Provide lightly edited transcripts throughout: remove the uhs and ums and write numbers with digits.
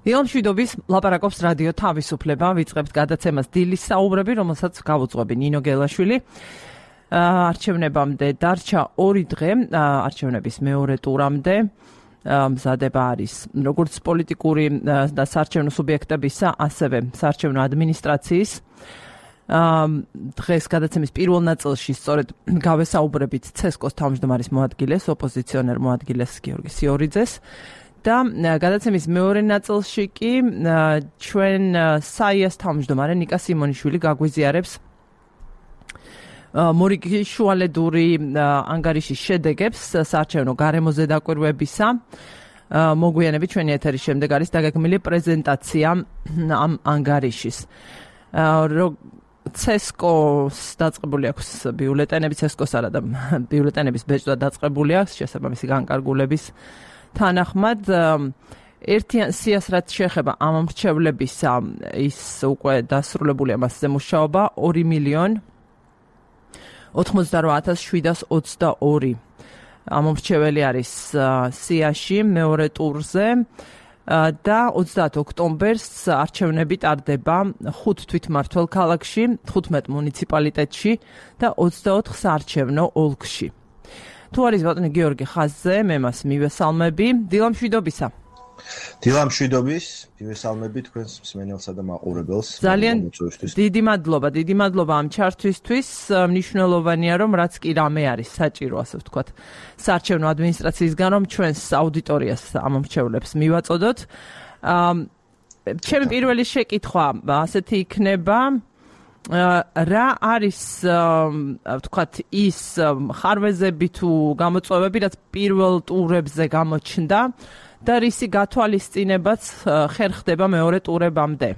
ილამშვიდობის ლაპარაკობს რადიო თავისუფლება, ვიწყებთ გადაცემას დილის საუბრები, რომელსაც გავუძღვები ნინო გელაშვილი. არჩევნებამდე დარჩა 2 დღე, არჩევნების მეორე ტურამდე მზადება არის როგორც პოლიტიკური და საარჩევნო სუბიექტებისა, ასევე საარჩევნო ადმინისტრაციის. დღეს გადაცემის პირველ ნაწილში სწორედ გავესაუბრებით ცესკოს თავმჯდომარის მოადგილეს, ოპოზიციონერ მოადგილეს გიორგი სიორიძეს. და გადაცემის მეორე ნაწილში კი ჩვენ საიას თავმჯდომარე ნიკა სიმონიშვილი გაგვიზიარებს მორიგი შუალედური ანგარიშის შედეგებს საარჩევნო გარემოზე დაკვირვებისა. მოგვიანებით ჩვენი ეთერის შემდეგ არის დაგეგმილი პრეზენტაცია ამ ანგარიშის. ცესკოს დაწყებული აქვს ბიულეტენები, ცესკოს არა და ბიულეტენების ბეჭდა დაწყებული აქვს შესაბამისი განკარგულების თანახმად. ერთიან სიას რაც შეეხება ამ მრჩევლებისა, ის უკვე დასრულებულია მასზე მუშაობა 2,88,722 ამ მრჩეველი არის სიაში მეორე ტურზე და 30 ოქტომბერს არჩევნები ტარდება 5 თვითმმართველ ქალაქში, 15 მუნიციპალიტეტში და 24 საარჩევნო ოლქში. თუ არის ბატონი გიორგი ხაზზე, მე მას მივესალმები. დილამშვიდობისა. დილამშვიდობის, მივესალმები თქვენს მსმენელსა და მაყურებელს. ძალიან დიდი მადლობა ამ ჩართვისთვის. მნიშვნელოვანია, რომ რაც კი რამე არის საჭირო, ასე ვთქვათ, საარჩევნო ადმინისტრაციისგან, რომ ჩვენს აუდიტორიას ამ მრჩევლებს მივაწოდოთ. ჩემი პირველი შეკითხვა ასეთი იქნება. რა არის ვთქვათ ის ხარვეზები თუ გამოწვევები, რაც პირველ ტურებზე გამოჩნდა და რისი გათვალისწინებაც ხერხდება მეორე ტურებამდე?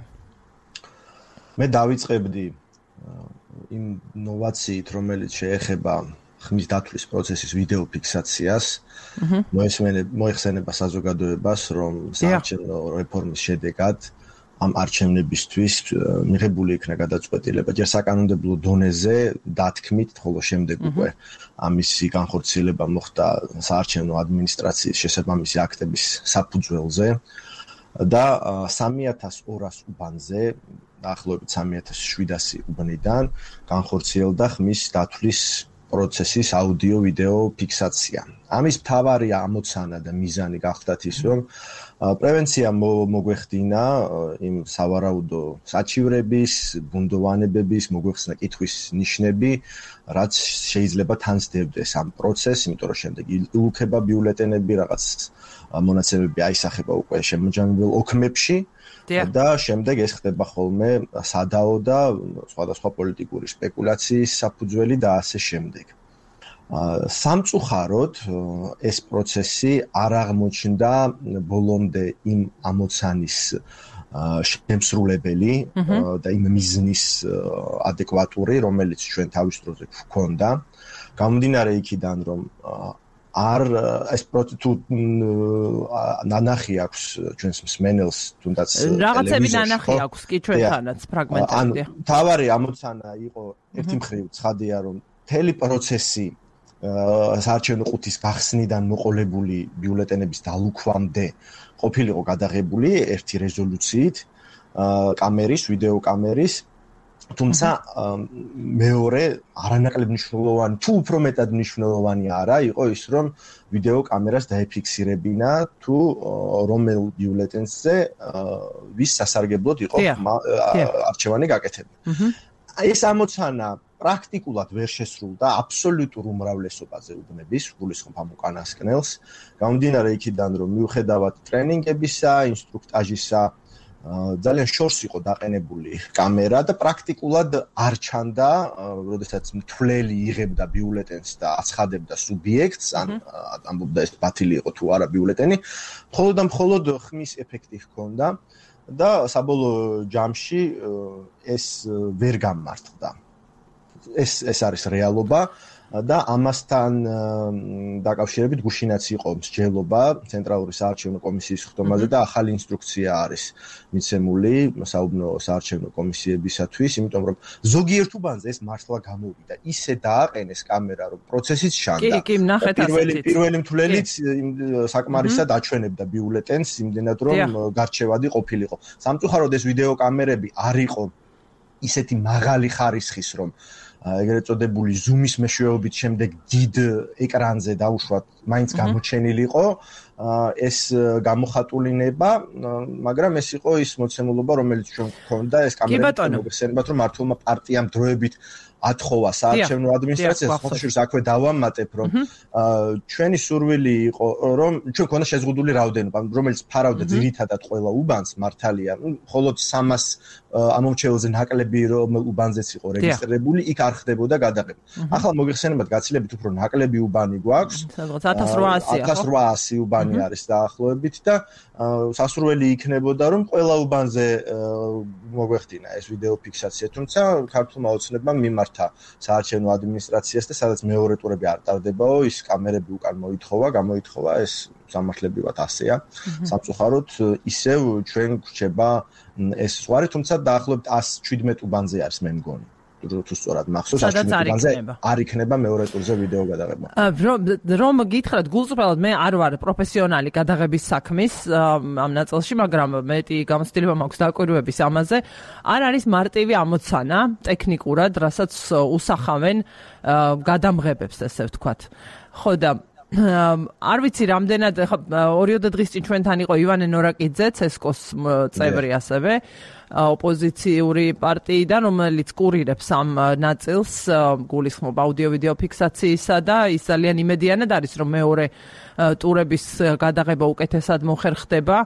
მე დავიწყებდი იმ ნოვაციით, რომელიც შეეხება ხმის დათვლის პროცესის ვიდეო ფიქსაციას. მოიხსენება საზოგადოებას, რომ საარჩევნო რეფორმის შედეგად ამ არჩევნებისთვის მიღებული იქნა გადაწყვეტილება ჯერ საკანონმდებლო დონეზე დათქმით, ხოლო შემდეგ უკვე ამისი განხორციელება მოხდა საარჩევნო ადმინისტრაციის შესაბამისი აქტების საფუძველზე და 3200 უბანზე, დაახლოებით 3700 უბნიდან განხორციელდა ხმის დათვლის პროცესის აუდიო-ვიდეო ფიქსაცია. ამის მთავარი ამოცანა და მიზანი გახდათ ის, რომ პრევენცია მოგვეხდინა იმ სავარაუდო საჩივრების, ბუნდოვანებების, მოგვეხსნა კითხვის ნიშნები, რაც შეიძლება თან სდებდეს ამ პროცესს, იმიტომ რომ შემდეგ ილუქება ბიულეტენები, რაღაც მონაცემები აისახება უკვე შემოჯამებულ ოქმებში და შემდეგ ეს ხდება ხოლმე სადაო და სხვადასხვა პოლიტიკური სპეკულაციის საფუძველი და ასე შემდეგ. სამწუხაროდ ეს პროცესი არ აღმოჩნდა ბოლომდე იმ ამოცანის შემსრულებელი და იმ მიზნის ადეკვატური, რომელიც ჩვენ თავის დროზე გვქონდა. გამომდინარე იქიდან, რომ ეს პროცესი ნანახი აქვს ჩვენს მსმენელს, თუნდაც რაღაცები ნანახი აქვს კი ჩვენთანაც ფრაგმენტები. თავარი ამოცანა იყო ერთი მხრივ ცხადია, რომ მთელი პროცესი საარჩევნო ყუთის გახსნიდან მოყოლებული ბიულეტენების დალუქვამდე ყოფილიყო გადაღებული ერთი რეზოლუციით კამერის, ვიდეო კამერის, თუმცა მეორე არანაკლებ მნიშვნელოვანი, თუ უფრო მეტად მნიშვნელოვანი არა იყო ის, რომ ვიდეო კამერას დაეფიქსირებინა თუ რომელ ბიულეტენზე ვის სასარგებლოდ იყო არჩევანი გაკეთებული. ეს ამოცანა პრაქტიკულად ვერ შესრულდა აბსოლუტურ უმრავლესობაზე უბნების სრულისხმობ უკანასკნელს. გამომდინარე იქიდან, რომ მიუხედავად ტრენინგებისა, ინსტრუქტაჟისა, ძალიან შორს იყო დაყენებული კამერა და პრაქტიკულად არ ჩანდა, როდესაც მთვლელი იღებდა ბიულეტენს და აცხადებდა სუბიექტს, ან ამბობდა ეს ბათილი იყო თუ არა ბიულეტენი, მხოლოდ და მხოლოდ ხმის ეფექტი ჰქონდა და საბოლოო ჯამში ეს ვერ გამართლდა. ეს არის რეალობა. და ამასთან დაკავშირებით გუშინაც იყო მსჯელობა ცენტრალური საარჩევნო კომისიის ხდომაზე და ახალი ინსტრუქცია არის მიცემული საუბნო საარჩევნო კომისიებისათვის, იმიტომ რომ ზოგიერთ უბანზე ეს მართლა გამოვიდა. ისე დააყენეს კამერა, რომ პროცესიც შანდა. კი, ნახეთ ასეთით. პირველი მთვლელიც საკმარისად აჩვენებდა ბიულეტენს, იმდენად რომ გარჩევადი ყოფილიყო. სამწუხაროდ ეს ვიდეო კამერები არ იყო ისეთი მაღალი ხარისხის, რომ ეგრეთ წოდებული ზუმის მეშვეობით შემდეგ დიდ ეკრანზე დაუშვათ მაინც გამოჩენილიყო ეს გამოხატულინება, მაგრამ ეს იყო ის მოცემულობა, რომელიც ჩვენ გვქონდა, ეს კამერები მოგხსენებათ, რომ მართლმა პარტიამ დროებით ათხოვა საარჩევნო ადმინისტრაციას, ხოთშურს აქვე დავამატებ, რომ ჩვენი სურვილი იყო, რომ ჩვენ ქონდა შეზღუდული რაოდენობა, რომელიც ფარავდა ძირითადად ყველა უბანს მართალია, მხოლოდ 300 ამომრჩეველზე ნაკლები რომ უბანზეც იყო რეგისტრირებული, იქ არ ხდებოდა გადაღება. ახლა მოგხსენებათ, გაცილებით უფრო ნაკლები უბანი გვაქვს, 1800 უბანი არის დაახლოებით და სასურველი იქნებოდა, რომ ყველა უბანზე მოგვეხდინა ეს ვიდეო ფიქსაცია, თუმცა ქართულმა ოცნებამ მიმართა საარჩევნო ადმინისტრაციას და სადაც მეორე ტურები არ ტარდებაო, ის კამერები უკან გამოითხოვა, ეს სამართლებრივად ასეა. სამწუხაროდ ისევ ჩვენ გვრჩება ეს ზღვარი, თუმცა დაახლოებით 117 უბანზე არის მე მგონი. თუ სწორად მახსოვს, 117 უბანზე არ იქნება მეორე ტურზე ვიდეო გადაღება. რომ გითხრათ გულწრფელად, მე არ ვარ პროფესიონალი გადაღების საქმის ამ ნაწილში, მაგრამ მეტი გამოცდილება მაქვს დაკვირვების ამაზე. არ არის მარტივი ამოცანა ტექნიკურად, რასაც უსახავენ გადამღებებს, ესე ვთქვათ. ხო და არ ვიცი რამდენად, ხა 2 დღის წინ ჩვენთან იყო ივანე ნორაკიძე, ცესკოს წევრი ასევე, ოპოზიციური პარტიიდან, რომელიც კურირებს ამ ნაწილს, გულისხმობ აუდიო-ვიდეო ფიქსაციისა და ის ძალიან იმედიანად არის, რომ მეორე ტურების გადაღება უკეთესად მოხერხდება.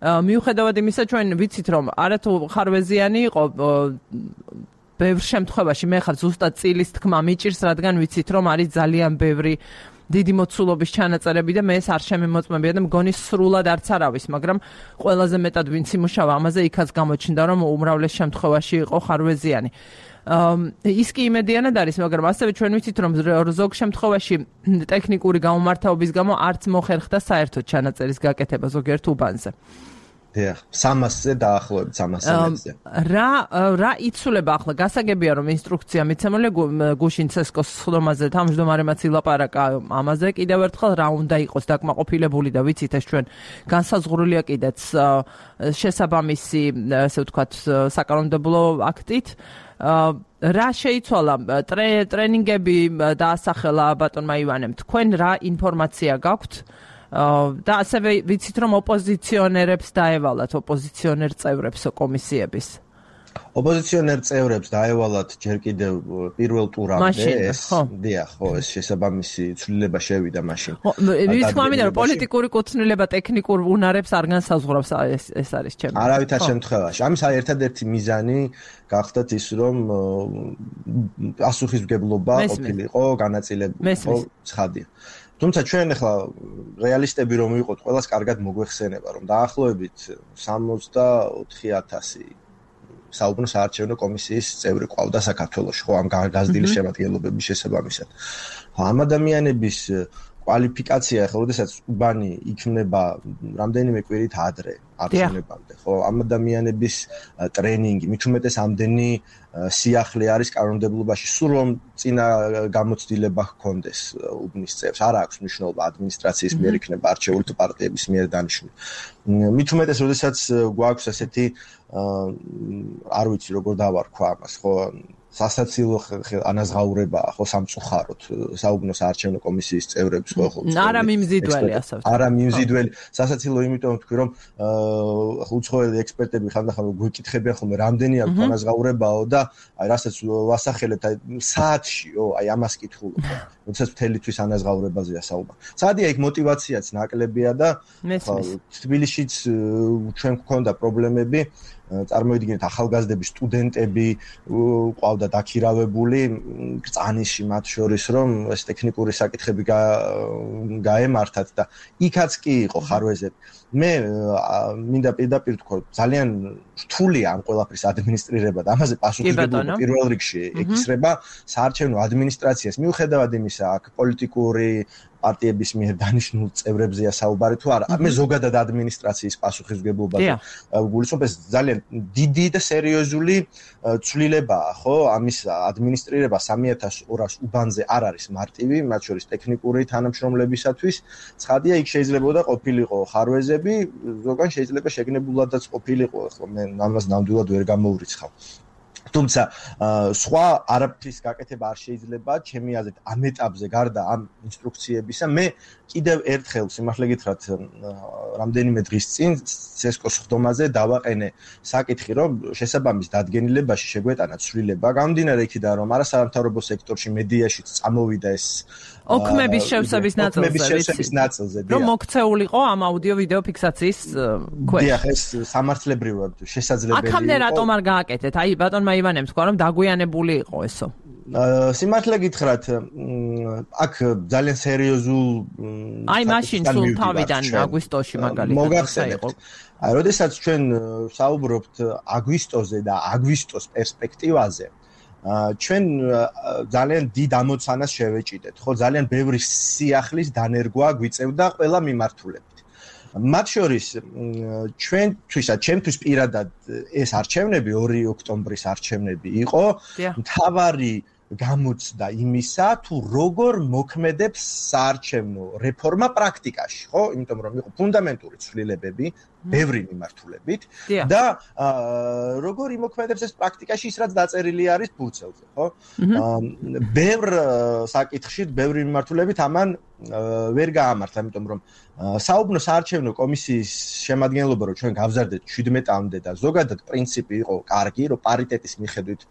მიუხედავად იმისა, ჩვენ ვიცით, რომ არათუ ხარვეზიანი იყო ბევრ შემთხვევაში, მე ხარ ზუსტად წილის თქმა მიჭირს, რადგან ვიცით, რომ არის ძალიან ბევრი დიდი მოცულობის ჩანაწერები და მე ეს არ შემემოწმებია და მგონი სრულად არც არავის, მაგრამ ყველაზე მეტად ვინც იმუშავა ამაზე, იქაც გამოჩნდა, რომ უმრავლეს შემთხვევაში იყო ხარვეზიანი. ის კი იმედიანად არის, მაგრამ ასევე ჩვენ ვიცით, რომ ზოგ შემთხვევაში ტექნიკური გამომართაობის გამო არც მოხერხდა საერთოდ ჩანაწერის გაკეთება ზოგიერთ უბანზე. 300-ზე დაახლოებით 300-ზე. რა იცვლება ახლა? გასაგებია, რომ ინსტრუქცია მიცემული გუშინ ცესკოს ხდომაზე, თავმჯდომარემაც ილაპარაკა ამაზე კიდევ ერთხელ, რა უნდა იყოს დაკმაყოფილებული და ვიცით ეს ჩვენ განსაზღვრულია კიდეც შესაბამისი, ესე ვთქვათ, საკანონმდებლო აქტით. რა შეიცვალა? ტრენინგები დაასახელა ბატონმა ივანემ. თქვენ რა ინფორმაცია გაქვთ? და ასევე ვიცით, რომ ოპოზიციონერებს დაევალათ, ოპოზიციონერ წევრებს კომისიების. ოპოზიციონერ წევრებს დაევალათ ჯერ კიდევ პირველ ტურამდე ეს, ხო, ეს შესაბამისი ცვლილება შევიდა მაშინ. მithმა მინდა, რომ პოლიტიკური კუთვნილება ტექნიკურ უნარებს არ განსაზღვრავს, ეს არის ჩემი. არავითარ შემთხვევაში. ამის ერთადერთი მიზანი გახდათ ის, რომ პასუხისმგებლობა ყოფილიყო, განაწილებული იყო, ცხადია. თუმცა ჩვენ ახლა რეალისტები რომ ვიყოთ, ყველას კარგად მოგვეხსენება, რომ დაახლოებით 64,000 საუბნო საარჩევნო კომისიის წევრი ყავდა საქართველოში, ხო, ამ გაზრდილი შემადგენლობების შესაბამისად. ამ ადამიანების კვალიფიკაცია, ხო, როდესაც უბანი იქნება რამდენიმე კვირით ადრე არჩევნებამდე, ხო, ამ ადამიანების ტრენინგი, მით უმეტეს ამდენი სიახლე არის კანონმდებლობაში, სულ რომ წინა გამოცდილება ჰქონდეს უბნის წევრს, არ აქვს მნიშვნელობა ადმინისტრაციის მიერ იქნება არჩეული თუ პარტიების მიერ დანიშნული. მით უმეტეს, როდესაც გვაქვს ასეთი არ ვიცი როგორ დავარქვა ამას, ხო, სასაცილო ანაზღაურებაა, ხო, სამწუხაროდ საუბნო საარჩევნო კომისიის წევრებს, ხო, არა მიმზიდველი, ასე ვთქვათ. არა მიმზიდველი, სასაცილო იმიტომ ვთქვი, რომ უცხოელი ექსპერტები ხანდახან გვეკითხებიან ხოლმე, რამდენი აქვს ანაზღაურებაო და აი რასაც ვასახელებთ, აი საათშიო, აი ამას კითხულობ. როდესაც მთელი თვის ანაზღაურებაზეა საუბარი. სადია იქ мотиваციაც ნაკლებია და თბილისშიც ჩვენ გვქონდა პრობლემები. წარმოიდგინეთ ახალგაზრდები, სტუდენტები ყავდა დაქირავებული წანიში მათ შორის, რომ ეს ტექნიკური საკითხები გაემართათ და იქაც კი იყო ხარვეზები. მე მინდა პირდაპირ თქვა, ძალიან რთულია ამ ყველაფრის ადმინისტრირება და ამაზე პასუხისმგებლობა პირველ რიგში ეკისრება საარჩევნო ადმინისტრაციას. მიუხედავად იმისა, აქ პოლიტიკური პარტიების მიერ დანიშნულ წევრებზეა საუბარი თუ არა, მე ზოგადად ადმინისტრაციის პასუხისმგებლობაზე გულისხმობ, ეს ძალიან დიდი და სერიოზული ცვლილებაა, ხო? ამის ადმინისტრირება 3200 უბანზე არ არის მარტივი, მათ შორის ტექნიკური თანამშრომლებისათვის. ცხადია, იქ შეიძლებოდა ყოფილიყო ხარვეზები, ზოგან შეიძლება შეგნებულადაც ყოფილიყო, ხო, მე ამას ნამდვილად ვერ გამოვრიცხავ. თუმცა სხვა არაფრის გაკეთება არ შეიძლება ჩემი აზრით ამ ეტაპზე გარდა ამ ინსტრუქციებისა. მე კიდევ ერთხელ სიმართლე გითხრათ რამდენიმე დღის წინ ცესკოს ხდომაზე დავაყენე საკითხი, რომ შესაბამის დადგენილებაში შეგვეტანა ცვლილება გამომდინარე იქიდან, რომ არასამთავრობო სექტორში მედიაში წამოვიდა ეს ოქმების შევსების ნაწილზე, რომ მოქცეულიყო ამ აუდიო-ვიდეო ფიქსაციის ქვეშ. დიახ, ეს სამართლებრივად შესაძლებელია. აქამდე რატომ არ გააკეთეთ? აი ბატონმა ივანემ თქვა, რომ დაგვიანებული იყო ესო. სიმართლე გითხრათ, აქ ძალიან სერიოზულ აი მაშინ სულ თავიდან აგვისტოში მაგალითად მოგახსენებთ. აი, როდესაც ჩვენ საუბრობთ აგვისტოზე და აგვისტოს პერსპექტივაზე, ჩვენ ძალიან დიდ ამოცანას შევეჭიდეთ, ხო, ძალიან ბევრი სიახლის დანერგვა გვიწევდა ყველა მიმართულებით. მათ შორის ჩვენთვის პირადად ეს არჩევნები 2 ოქტომბრის არჩევნები იყო მთავარი გამოცდა იმისა, თუ როგორ მოქმედებს საარჩევნო რეფორმა პრაქტიკაში, ხო? იმიტომ რომ იყო ფუნდამენტური ცვლილებები ბევრი მიმართულებით და როგორ იმოქმედებს ეს პრაქტიკაში ის რაც დაწერილი არის ფურცელზე, ხო? ბევრ საკითხში, ბევრი მიმართულებით ამან ვერ გაამართლა, იმიტომ რომ საუბნო საარჩევნო კომისიის შემადგენლობა რომ ჩვენ გავზარდეთ 17-მდე და ზოგადად პრინციპი იყო კარგი, რომ პარიტეტის მიხედვით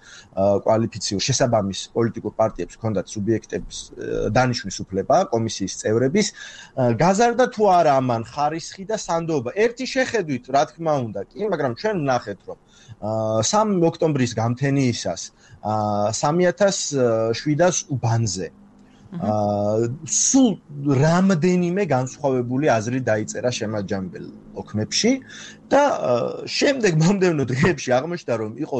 კვალიფიციურ შესაბამის პოლიტიკურ პარტიებს ჰქონდათ სუბიექტების დანიშვნის უფლება კომისიის წევრების, გაზარდა თუ არა ამან ხარისხი და სანდოობა. ერთი შეხედვით, რა თქმა უნდა, კი, მაგრამ ჩვენ ვნახეთ, რომ 3 ოქტომბრის გამთენიისას 3700 უბანზე სულ რამდენიმე განსხვავებული აზრი დაიწერა შემაჯამებელ ოქმებში და შემდეგ მომდევნო დღეებში აღმოჩნდა, რომ იყო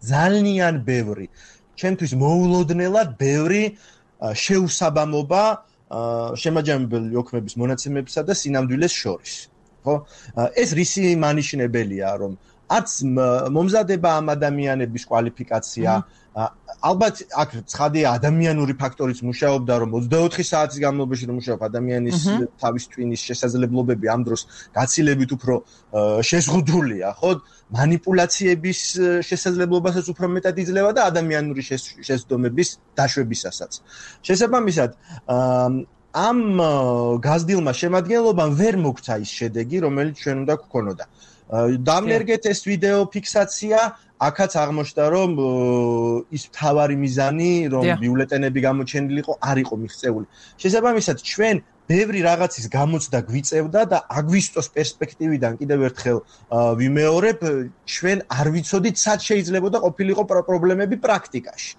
ძალიან ბევრი, ჩვენთვის მოულოდნელად ბევრი შეუსაბამობა შემაჯამებელ ოქმების მონაცემებსა და სინამდვილეს შორის. ხო? ეს რისი მანიშნებელია, რომ არც მომზადება ამ ადამიანების კვალიფიკაცია, ალბათ აქ ცხადია ადამიანური ფაქტორიც მუშაობდა, რომ 24 საათის განმავლობაში რომ მუშაობ ადამიანის თავის ტვინის შესაძლებლობები ამ დროს გაცილებით უფრო შეზღუდულია, ხო? მანიპულაციების შესაძლებლობასაც უფრო მეტად იძლევა და ადამიანური შეცდომების დაშვებისასაც. შესაბამისად, ამ გაზრდილმა შემადგენლობამ ვერ მოგცა ის შედეგი, რომელიც ჩვენ უნდა გვქონოდა. დამნერგეთ ეს ვიდეო ფიქსაცია, აქაც აღმოჩნდა, რომ ის მთავარი მიზანი, რომ ბიულეტენები გამოჩენილიყო, არ იყო მიღწეული. შესაბამისად, ჩვენ ბევრი რაღაცის გამოცდა გვიწევდა და აგვისტოს პერსპექტივიდან კიდევ ერთხელ ვიმეორებ, ჩვენ არ ვიცოდით, სად შეიძლებოდა ყოფილიყო პრობლემები პრაქტიკაში.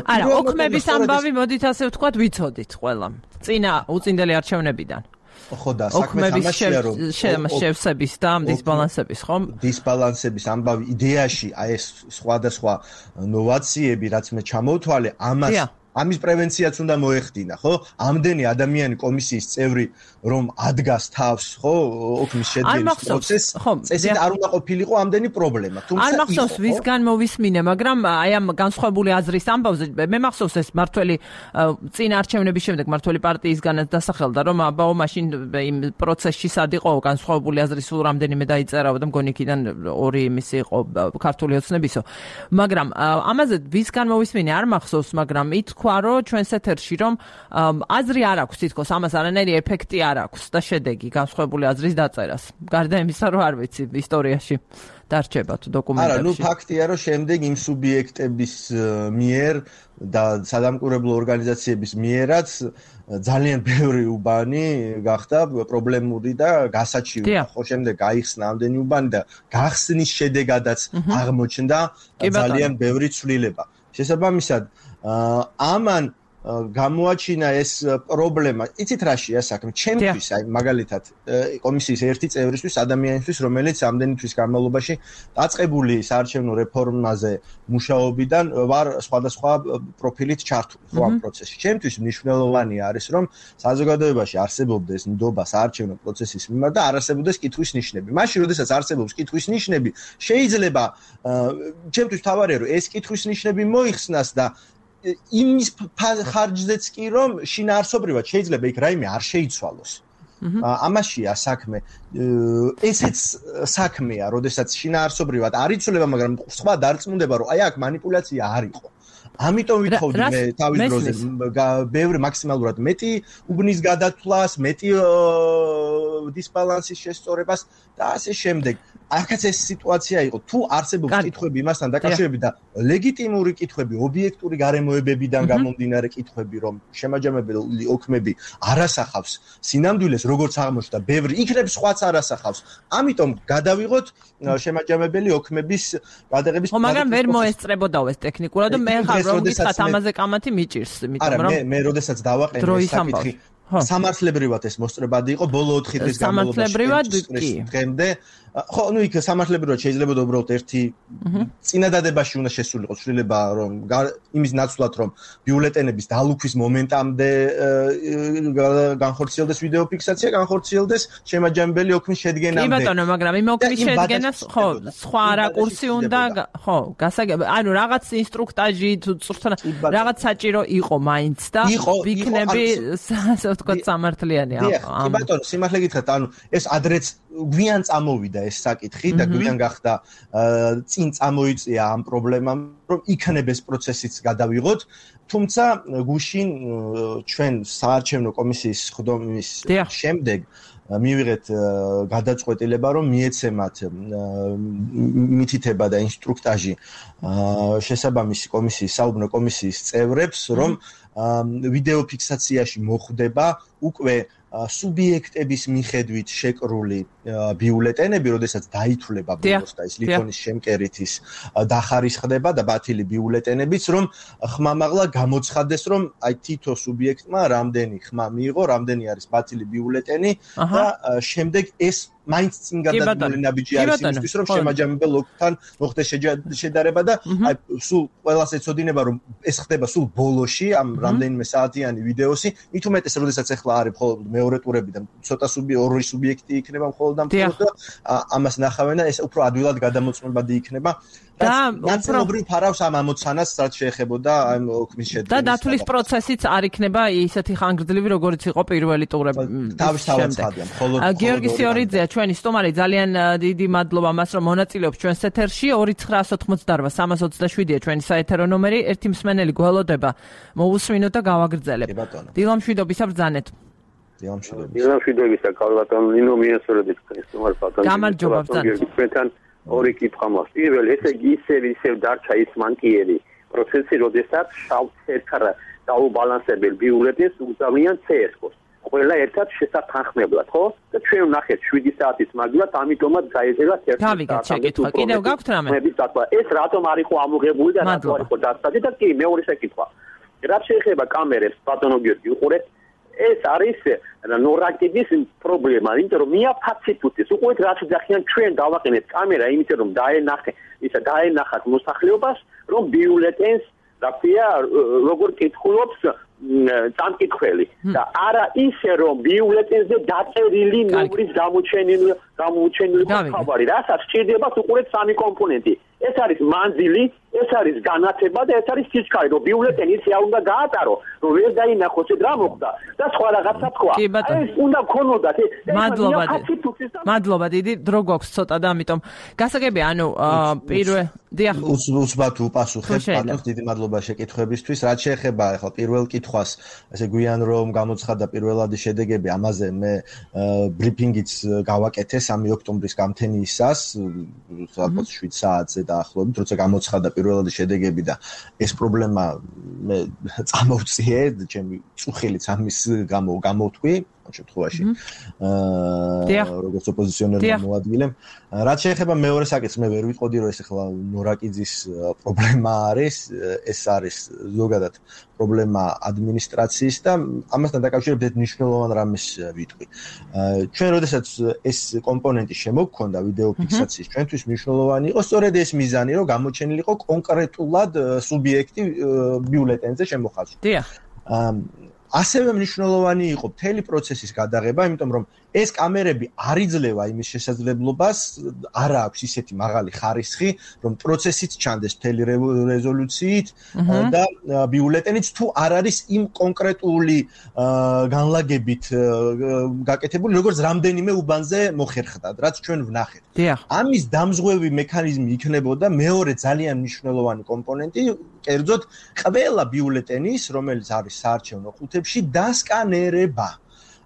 არა, ოქმების ამბავი, მოდით ასე ვთქვათ, ვიცოდით ყველამ. წინა უწინდელი არჩევნებიდან. ხო და საქმე თამაშია, რომ შევსების და დისბალანსების, ხო? დისბალანსების ამბავი იდეაში, აი ეს სხვადასხვა ნოვაციები, რაც მე ჩამოვთვალე, ამის პრევენციაც უნდა მოეხდინა, ხო? ამდენი ადამიანი კომისიის წევრი რომ ადგას თავს, ხო, ოქმის შედგენის პროცესს, წესით არ უნდა ყოფილიყო ამდენი პრობლემა. თუმცა არ მახსოვს ვისგან მოვისმინე, მაგრამ აი ამ განსხვავებული აზრის ამბავზე მე მახსოვს ეს მართველი წინ არჩევნების შემდეგ მართველი პარტიისგანაც დასახელდა, რომ აბაო მაშინ იმ პროცესში სად იყო განსხვავებული აზრი სულ რამდენიმე დაიწერაო და მგონი იქიდან 2 იმისი იყო ქართული ოცნებისო. მაგრამ ამაზე ვისგან მოვისმინე არ მახსოვს, მაგრამ თქვა, რომ ჩვენს ეთერში რომ აზრი არ აქვს თითქოს ამას არანაირი ეფექტი არ აქვს და შედეგი განსხვავებული აზრის დაწერას. გარდა იმისა, რომ არ ვიცი ისტორიაში დარჩება თუ დოკუმენტებში. არა, ფაქტია, რომ შემდეგ იმ სუბიექტების მიერ და სადამკვირვებლო ორგანიზაციების მიერაც ძალიან ბევრი უბანი გახდა პრობლემური და გასაჩივი. ხო, შემდეგ გაიხსნა ამდენი უბანი და გახსნის შედეგადაც აღმოჩნდა ძალიან ბევრი ცვლილება. შესაბამისად, ამან გამოაჩინა ეს პრობლემა. იცით რაშია საქმე? ჩემთვის, აი მაგალითად, კომისიის ერთი წევრისთვის, ადამიანისთვის, რომელიც ამდენი თვის განმავლობაში დაწყებული საარჩევნო რეფორმაზე მუშაობიდან ვარ სხვადასხვა პროფილით ჩართული ხო ამ პროცესში. ჩემთვის მნიშვნელოვანი არის, რომ საზოგადოებაში არსებობდეს ნდობა საარჩევნო პროცესის მიმართ და არ არსებობდეს კითხვის ნიშნები. მაშინ, როდესაც არსებობს კითხვის ნიშნები, შეიძლება ჩემთვის თავარია, რომ ეს კითხვის ნიშნები მოიხსნას და იმის ხარჯზეც კი რომ შინაარსობრივად შეიძლება იქ რაიმე არ შეიცვალოს. ამაშია საქმე. ესეც საქმეა, როდესაც შინაარსობრივად არ იცვლება, მაგრამ სხვა დარწმუნდება, რომ აი აქ манипуляცია არ იყო. ამიტომ ვითხოვდი მე თავის დროზე ბევრი მაქსიმალურად მეტი უბნის გადათვლას, მეტი დისბალანსის შესწორებას და ასე შემდეგ. აქაც ეს სიტუაცია იყო. თუ არსებობს კითხვები იმასთან დაკავშირებით და ლეგიტიმური კითხვები, ობიექტური გარემოებებიდან გამომდინარე კითხვები, რომ შემაჯამებელი ოქმები არასახავს სინამდვილეს, როგორც აღმოჩნდა, ბევრი იქნებ სხვაც არასახავს. ამიტომ გადავიღოთ შემაჯამებელი ოქმების გადაღების პროცესი. მაგრამ ვერ მოესწრებოდაო ეს ტექნიკურად და მე ხარ რომ გითხრათ ამაზე კამათი მიჭირს, იმიტომ რომ მე როდესაც დავაყენე ეს საკითხი სამართლებრივად ეს მოსწრებადი იყო ბოლო 4 დღის განმავლობაში დღემდე ხო ნუ იქ სამართლებრივად შეიძლება უბრალოდ ერთი წინადადებაში უნდა შესულიყო ცვლილება რომ იმის ნაცვლად რომ ბიულეტენების დალუქვის მომენტამდე განხორციელდეს ვიდეო ფიქსაცია განხორციელდეს შემაჯამებელი ოქმის შედგენამდე კი ბატონო მაგრამ იმ ოქმის შედგენას ხო სხვა რაკურსი უნდა ხო გასაგები ანუ რაღაც ინსტრუქტაჟი თუ რაღაც საჭირო იყო მაინც და ვიქნები ასე ვთქვათ სამართლიანი კი ბატონო სიმართლე გითხრათ ანუ ეს ადრეც გვიან წამოვიდა ეს საკითხი და გვიან გახდა წინ წამოიწია ამ პრობლემამ რომ იქნებ ეს პროცესიც გადავიღოთ თუმცა გუშინ ჩვენ საარჩევნო კომისიის ხდომის შემდეგ მივიღეთ გადაწყვეტილება რომ მიეცემათ მითითება და ინსტრუქტაჟი შესაბამისი კომისიის საუბნო კომისიის წევრებს რომ ვიდეო ფიქსაციაში მოხვდება უკვე სუბიექტების მიხედვით შეკრული ბიულეტენები, როდესაც დაითვლება ბოლოს და ის ლითონის შემკერითის დახარისხდება და ბათილი ბიულეტენებიც, რომ ხმამაღლა გამოცხადდეს, რომ აი თითო სუბიექტმა რამდენი ხმა მიიღო, რამდენი არის ბათილი ბიულეტენი და შემდეგ ეს მაინც წინ გადადგმული ნაბიჯი არის იმისთვის, რომ შემაჯამებელ ოკთან მოხდეს შედარება და აი სულ ყველას ეცოდინება, რომ ეს ხდება სულ ბოლოში ამ რამდენიმე საათიანი ვიდეოსი, მით უმეტეს, როდესაც ახლა არის მხოლოდ მეორე ტურებიდან ცოტა ორი სუბიექტი იქნება მხოლოდ და მხოლოდ და ამას ნახავენ და ეს უფრო ადვილად გადამოწმებადი იქნება და ნაცნობრივ ფარავს ამ ამოცანას რაც შეეხებოდა ამ ოქმის შედგენას და დათვლის პროცესიც არ იქნება ისეთი ხანგრძლივი როგორც იყო პირველი ტურები თავისთავად ხადია მხოლოდ გიორგი სიორიძეა ჩვენი სტუმარი ძალიან დიდი მადლობა მას რომ მონაწილეობს ჩვენს ეთერში 2988-327-ია ჩვენი საეთერო ნომერი ერთი მსმენელი გველოდება მოусმინოთ და გავაგრძელებ დილამშვიდობისა ბრძანეთ დილამშვიდობისა კალბატონ ნინო მიესწრებით სტუმარ ბატონ გამარჯობა ბრძანეთ ორი კითხვა მაქვს. პირველი, ესე იგი ისევ დარჩა ის მანკიერი პროცესი, როდესაც შავ-თეთრ დაუბალანსებელ ბიულეტენს უზავიან CS-ს. ყველა ერთად შესათანხმებლად, ხო? და ჩვენ ვნახეთ 7 საათის მაგალითად, ამიტომაც გაეძელა 1 საათი. გავიგეთ შეკითხვა. კიდევ გაქვთ რამე? ეს რატომ არ იყო ამოღებული და რატომ არ იყო დასწრებული და კი მეორე შეკითხვა. რაც შეეხება კამერებს, ბატონო გიორგი, უყურეთ ეს არის ნორატივის პრობლემა, იმიტომ რომ მიაფაციფუტეს, უყურეთ რაც ძახიან ჩვენ დავაყენეთ კამერა, იმიტომ რომ დაენახათ მოსახლეობას, რომ ბიულეტენს რა ქვია, როგორ კითხულობს წამკითხველი და არა ისე რომ ბიულეტენზე დაწერილი ნომრის გამოჩენილი ხაბარი, რასაც სჭირდება უყურეთ სამი კომპონენტი. ეს არის მანძილი ეს არის განათება და ეს არის სიჩქარე, რომ ბიულეტენი ისე არ უნდა გაატარო, რომ ვერ დაინახოს რა მოხდა და სხვა რაღაცა თქვა. ეს უნდა გქონოდათ. მადლობა დიდი, დრო გვაქვს ცოტა და ამიტომ გასაგები, ანუ პირველ დიახ უცბად უპასუხებ პარტნიორს დიდი მადლობა შეკითხვებისთვის. რაც შეეხება ახლა პირველ კითხვას, ესე გვიან რომ გამოცხადა პირველადი შედეგები, ამაზე მე ბრიფინგიც გავაკეთე 3 ოქტომბრის გამთენიისას, სადღაც 7 საათზე დაახლოებით, როცა გამოცხადა პირველადი შედეგები და ეს პრობლემა მე წამოვწიე, ჩემი წუხილიც ამის გამო გამოვთქვი ამ შემთხვევაში. როგორც ოპოზიციონერმა მოადგილე. რაც შეეხება მეორე საკითხს, მე ვერ ვიტყოდი რომ ეს ახლა ნორაკიძის პრობლემა არის, ეს არის ზოგადად პრობლემა ადმინისტრაციის და ამასთან დაკავშირებით მნიშვნელოვან რამეს ვიტყვი. ჩვენ როდესაც ეს კომპონენტი შემოგქონდა ვიდეო ფიქსაციის, ჩვენთვის მნიშვნელოვანი იყო სწორედ ეს მიზანი, რომ გამოჩენილიყო კონკრეტულად სუბიექტი ბიულეტენზე შემოხაზვა. დიახ. ასევე მნიშვნელოვანი იყო მთელი პროცესის გადაღება, იმიტომ რომ ეს კამერები არ იძლევა იმის შესაძლებლობას, არ აქვს ისეთი მაღალი ხარისხი, რომ პროცესიც ჩანდეს მთელი რეზოლუციით და ბიულეტენიც თუ არ არის იმ კონკრეტული განლაგებით გაკეთებული, როგორც რამდენიმე უბანზე მოხერხდა, რაც ჩვენ ვნახეთ. ამის დამზღვევი მექანიზმი იქნებოდა მეორე ძალიან მნიშვნელოვანი კომპონენტი, კერძოდ ყველა ბიულეტენის, რომელიც არის საარჩევნო ყუთებში, დასკანერება.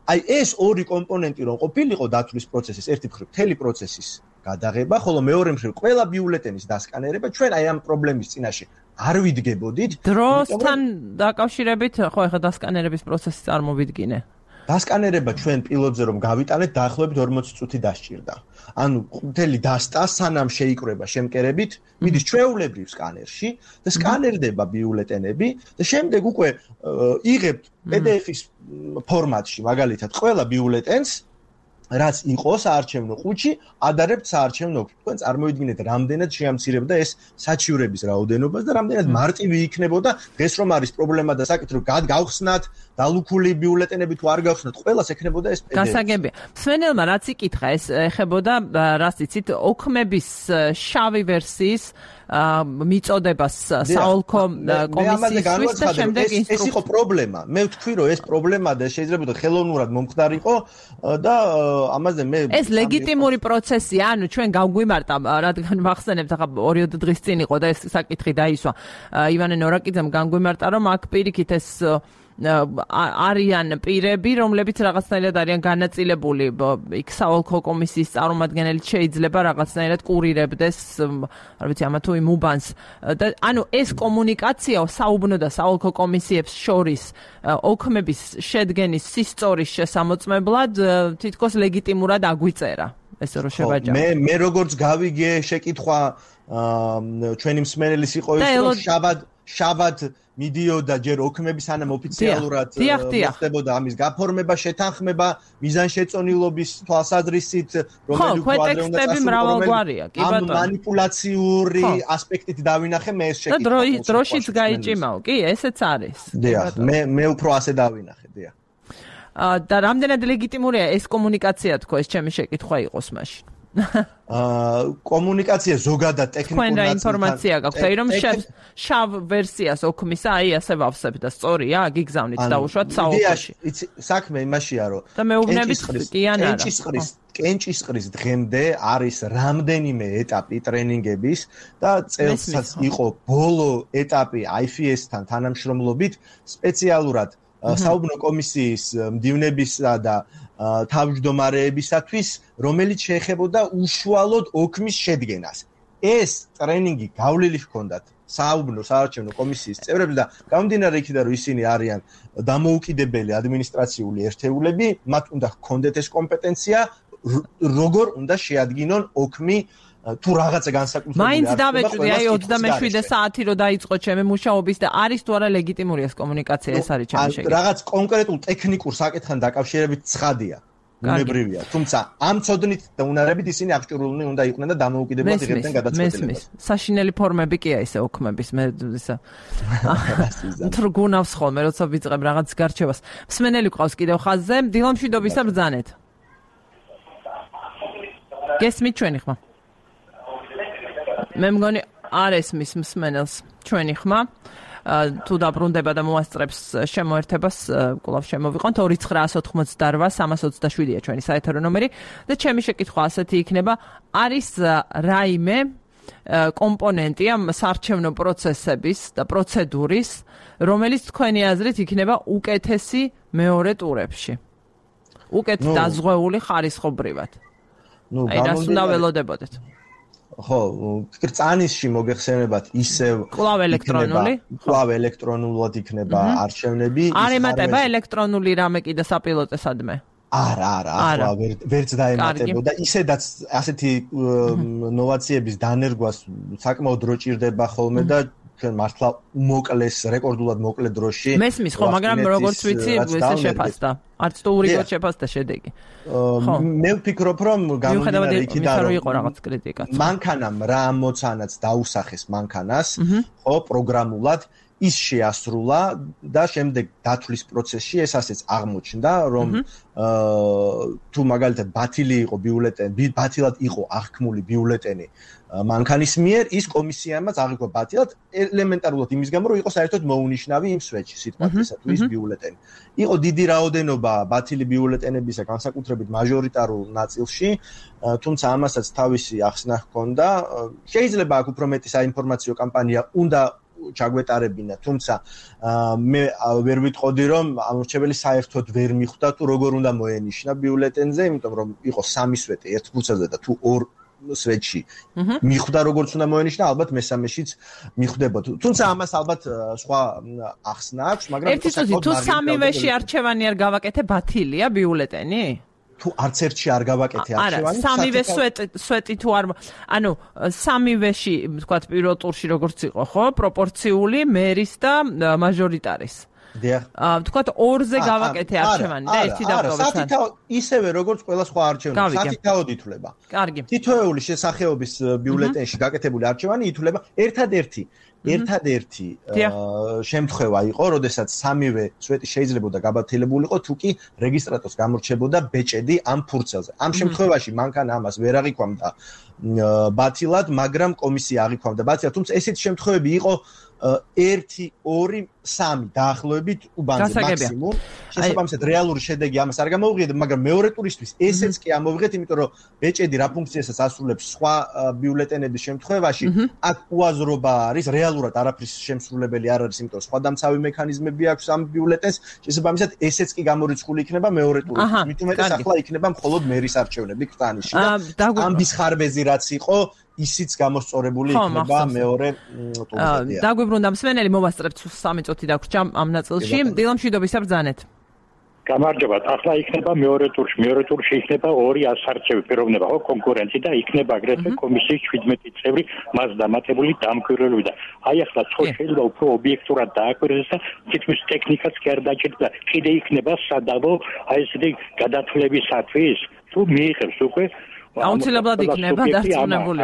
აი ეს ორი კომპონენტი რომ ყოფილიყო დათვლის პროცესის, ერთი მხრივ მთელი პროცესის გადაღება, ხოლო მეორე მხრივ ყველა ბიულეტენის დასკანერება, ჩვენ აი ამ პრობლემის წინაშე არ ვიდგებოდით. დროსთან დაკავშირებით, ხო ეხლა დასკანერების პროცესი წარმოვიდგინე. დასკანერება ჩვენ პილოტზე რომ გავიტანეთ, დაახლოებით 40 წუთი დასჭირდა. ანუ მთელი დასტა სანამ შეიკრება შემკერებით, მიდის ჩვეულებრივ სკანერში და სკანერდება ბიულეტენები და შემდეგ უკვე იღებთ PDF-ის ფორმატში, მაგალითად, ყველა ბიულეტენს, რაც იყო საარჩევნო ყუთში, ადარებთ საარჩევნო ოფისში. თქვენ წარმოიდგინეთ, რამდენად შეამცირებდა ეს საჩივრების რაოდენობას და რამდენად მარტივი იქნებოდა დღეს რომ არის პრობლემა და საკითხი რომ გავხსნათ დალუქული ბიულეტენები თუ არ გავხსნათ, ყველას ექნებოდა ეს PDF. გასაგებია. მსმენელმა რაც იკითხა, ეს ეხებოდა, რაც იცით, ოქმების შავი ვერსიის მიწოდებას საოლქო კომისიისთვის და შემდეგ ეს იყო პრობლემა. მე ვთქვი, რომ ეს პრობლემა და შეიძლება ხელოვნურად მომხდარიყო და ამაზე მე ეს ლეგიტიმური პროცესია, ანუ ჩვენ გავგვიმარტა, რადგან მახსენებთ, ახლა 2 დღის წინ იყო და ეს საკითხი დაისვა. ივანე ნორაკიძემ განგვიმარტა, რომ აქ პირიქით ეს არიან პირები, რომლებიც რაღაცნაირად არიან განაწილებული იქ საოლქო კომისიის წარმომადგენელი შეიძლება რაღაცნაირად კურირებდეს, არ ვიცი, ამა თუ იმ უბანს. და ანუ ეს კომუნიკაცია საუბნო და საოლქო კომისიებს შორის ოქმების შედგენის სისწორის შესამოწმებლად თითქოს ლეგიტიმურად აგვიწერა. ესე რომ შევაჯამო. მე როგორც გავიგე შეკითხვა ჩვენი მსმენელის იყო ის, რომ შაბათ მიდიოდა ჯერ ოქმების სანამ ოფიციალურად ხდებოდა ამის გაფორმება, შეთანხმება, მიზანშეწონილობის თვალსაზრისით, რომელიც адრე უნდა წასულიყო. ამ მანიპულაციური ასპექტით დავინახე მე ეს შეკითხვა. და დროშიც გაიჭიმაო, კი, ესეც არის. დიახ, მე უფრო ასე დავინახე, დიახ. და რამდენად ლეგიტიმურია ეს კომუნიკაცია თქო, ეს ჩემი შეკითხვა იყოს მაშინ. კომუნიკაცია ზოგადად ტექნიკურ ნაწილთან ინფორმაცია გაქვთ, აი რომ შავ ვერსიას ოქმისა, აი ასე ვავსებ და სწორია, გიგზავნით დაუშვათ საოლქოში. საქმე იმაშია, რომ და მეუბნებით კი ან არა. კენჭისყრის დღემდე არის რამდენიმე ეტაპი ტრენინგების და წელსაც იყო ბოლო ეტაპი IFS-თან თანამშრომლობით სპეციალურად საუბნო კომისიის მდივნებისა და თავმჯდომარეებისათვის, რომელიც შეეხებოდა უშუალოდ ოქმის შედგენას. ეს ტრენინგი გავლილი ჰქონდათ საუბნო საარჩევნო კომისიის წევრებს და გამომდინარე იქიდან, რომ ისინი არიან დამოუკიდებელი ადმინისტრაციული ერთეულები, მათ უნდა ჰქონდეთ ეს კომპეტენცია, როგორ უნდა შეადგინონ ოქმი თუ რაღაცა განსაკუთრებული მაინც დავეჭვი, აი 27 საათი რო დაიწყო ჩემი მუშაობის და არის თუ არა ლეგიტიმური ეს კომუნიკაცია, ეს არის ჩემი შეკითხვა. რაღაც კონკრეტულ ტექნიკურ საკითხთან დაკავშირებით ცხადია. უნებრივია, თუმცა ამ ცოდნით და უნარებით ისინი აღჭურვილნი უნდა იყვნენ და დამოუკიდებლად იღებდნენ გადაწყვეტილებას. საშინელი ფორმები კი აი ესე ოქმების, მე ისა თრგუნავს ხოლმე, როცა ვიწყებ რაღაც გარჩევას. მსმენელი ყავს კიდევ ხაზზე, დილამშვიდობის და ბრძანეთ. გესმით ჩვენი ხმა? მე მგონი არ ესმის მსმენელს ჩვენი ხმა. თუ დაბრუნდება და მოასწრებს შემოერთებას, კვლავ შემოვიყვანთ 29188-327-ია ჩვენი საეთერო ნომერი და ჩემი შეკითხვა ასეთი იქნება, არის რაიმე კომპონენტი ამ საარჩევნო პროცესების და პროცედურის, რომელიც თქვენი აზრით იქნება უკეთესი მეორე ტურებში? უკეთ დაზღვეული ხარისხობრივად. აი, რას უნდა ველოდებოდეთ? ხო, კრწანისში მოგეხსენებათ ისევ კვლავ ელექტრონულად იქნება არჩევნები. არ ემატება ელექტრონული რამე კიდე საპილოტესადმე? არა, ვერც დაემატებოდა. ისედაც ასეთი ნოვაციების დანერგვას საკმაოდ დრო ჭირდება ხოლმე და ჩვენ მართლა მოკლეს, რეკორდულად მოკლე დროში. მესმის ხო, მაგრამ როგორც ვიცი, ესე შეფასდა. არც თუ ურიგოდ შეფასდა შედეგი. მე ვფიქრობ, რომ გამომდინარე იქიდან რომ იყო რაღაც კრიტიკაც. მანქანამ რა ამოცანაც დაუსახეს მანქანას, ხო, პროგრამულად ის შეასრულა და შემდეგ დათვლის პროცესში ეს ასეც აღმოჩნდა, რომ თუ მაგალითად ბათილი იყო ბიულეტენი, ბათილად იყო აღქმული ბიულეტენი მანქანის მიერ, ის კომისიამაც აღიქვა ბათილად ელემენტარულად იმის გამო, რომ იყო საერთოდ მოუნიშნავი იმ სვეტში, სიტყვათ ესა თუ ის ბიულეტენი. იყო დიდი რაოდენობა ბათილი ბიულეტენებისა, განსაკუთრებით მაჟორიტარულ ნაწილში, თუმცა ამასაც თავისი ახსნა ჰქონდა. შეიძლება აქ უფრო მეტი საინფორმაციო კამპანია უნდა ჩაგვეტარებინა, თუმცა მე ვერ ვიტყოდი, რომ ამორჩეველი საერთოდ ვერ მიხვდა თუ როგორ უნდა მოენიშნა ბიულეტენზე, იმიტომ რომ იყო 3 სვეტი ერთ ფურცელზე და თუ 2 სვეტში მიხვდა როგორც უნდა მოენიშნა, ალბათ მესამეშიც მიხვდებოდა. თუმცა ამას ალბათ სხვა ახსნა აქვს, მაგრამ ერთი წუთი თუ 3-ვეში არჩევანი არ გავაკეთე, ბათილია ბიულეტენი? თუ არც ერთში არ გავაკეთე არჩევანი, 3-ვე სვეტი თუ არ, ანუ 3-ვეში, თქვათ, პირველ ტურში როგორც იყო, ხო, პროპორციული მერის და მაჟორიტარის. თქვათ 2-ზე გავაკეთე არჩევანი და ერთი დავკავეთ. ისევე როგორც ყველა სხვა არჩევანი, სათითაოდ ითვლება. კარგი. თითოეული შესახეობის ბიულეტენში გაკეთებული არჩევანი ითვლება ერთადერთი შემთხვევა იყო, როდესაც 3-ვე სვეტი შეიძლებოდა გაბათილებულიყო, თუ კი რეგისტრატორს გამორჩებოდა ბეჭედი ამ ფურცელზე. ამ შემთხვევაში მანქანა ამას ვერ აღიქვამდა ბათილად, მაგრამ კომისია აღიქვამდა ბათილად, თუმცა ესეთი შემთხვევები იყო 1, 2, 3 დაახლოებით უბანზე მაქსიმუმ. შესაბამისად რეალური შედეგი ამას არ გამოვიღეთ, მაგრამ მეორე ტურისთვის ესეც კი ამოვიღეთ, იმიტომ რომ ბეჭედი რა ფუნქციასაც ასრულებს სხვა ბიულეტენების შემთხვევაში, აქ უაზრობა არის, რეალურად არაფრის შემსრულებელი არ არის, იმიტომ რომ სხვა დამცავი მექანიზმები აქვს ამ ბიულეტენს, შესაბამისად ესეც კი გამორიცხული იქნება მეორე ტურისთვის. მით უმეტეს ახლა იქნება მხოლოდ მერის არჩევნები კრწანისში და ამბის ხარბეზი რაც იყო ისიც გამოსწორებული იქნება მეორე ტურში. დაგვიბრუნდა მსმენელი, მოვასწრებთ 3 წუთი დაგვრჩა ამ ნაწილში. დილამშვიდობის საბრძანეთ. გამარჯობა. ახლა იქნება მეორე ტურში. მეორე ტურში იქნება 2 ასარჩევი პიროვნება, ხო, კონკურენტი და იქნება აგრეთვე კომისიის 17 წევრი მას დამატებული დამკვირვებლები და აი ახლა ხო შეიძლება უფრო ობიექტურად დააკვირდეს და თითქმის ტექნიკაც კი არ დაჭირდა. კიდე იქნება სადავო აი ესეთი გადათვლებისათვის თუ მიიღებს უკვე აუცილებლად იქნება დარწმუნებული.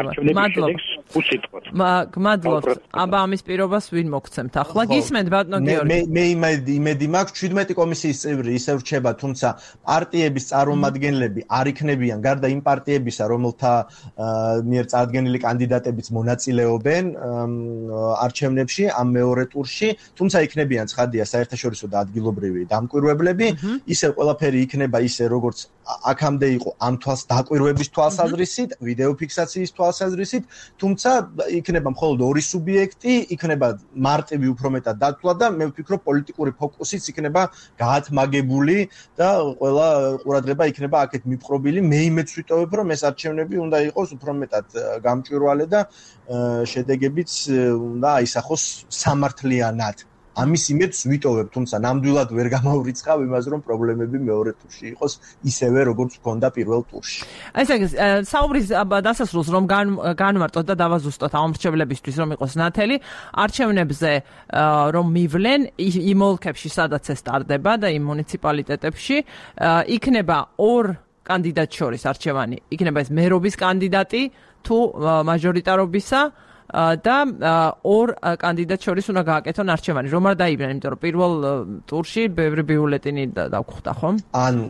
მადლობთ. აბა ამის პირობას ვინ მოგცემთ ახლა? გისმენთ ბატონო გიორგი. მე იმედი მაქვს 17 კომისიის წევრი ისევ რჩება, თუმცა პარტიების წარმომადგენლები არ იქნებიან გარდა იმ პარტიებისა, რომელთა მიერ წარდგენილი კანდიდატებიც მონაწილეობენ არჩევნებში ამ მეორე ტურში, თუმცა იქნებიან ცხადია საერთაშორისო და ადგილობრივი დამკვირვებლები, ისევ ყველაფერი იქნება ისე როგორც აქამდე იყო ამ თვალს დაკვირვების თვალსაზრისით, ვიდეო ფიქსაციის თვალსაზრისით, თუმცა იქნება მხოლოდ 2 სუბიექტი, იქნება მარტივი უფრო მეტად დათვლა და მე ვფიქრობ პოლიტიკური ფოკუსიც იქნება გაათმაგებული და ყველა ყურადღება იქნება აქეთ მიპყრობილი. მე იმედს ვიტოვებ, რომ ეს არჩევნები უნდა იყოს უფრო მეტად გამჭვირვალე და შედეგებიც უნდა აისახოს სამართლიანად. ამის იმედს ვიტოვებ, თუმცა ნამდვილად ვერ გამოვრიცხავ იმას, რომ პრობლემები მეორე ტურში იყოს ისევე, როგორც ჰქონდა პირველ ტურში. ესე იგი, საუბრის დასასრულს რომ განვარტოთ და დავაზუსტოთ ამორჩევლებისთვის, რომ იყოს ნათელი, არჩევნებზე რომ მივლენ იმ ოლქებში, სადაც ეს ტარდება და იმ მუნიციპალიტეტებში, იქნება 2 კანდიდატ შორის არჩევანი. იქნება ეს მერობის კანდიდატი თუ მაჟორიტარობისა და 2 კანდიდატ შორის უნდა გააკეთონ არჩევანი. რომ არ დაიბრენ, იმიტომ რომ პირველ ტურში ბევრი ბიულეტენი დაგხვდა, ხო? ანუ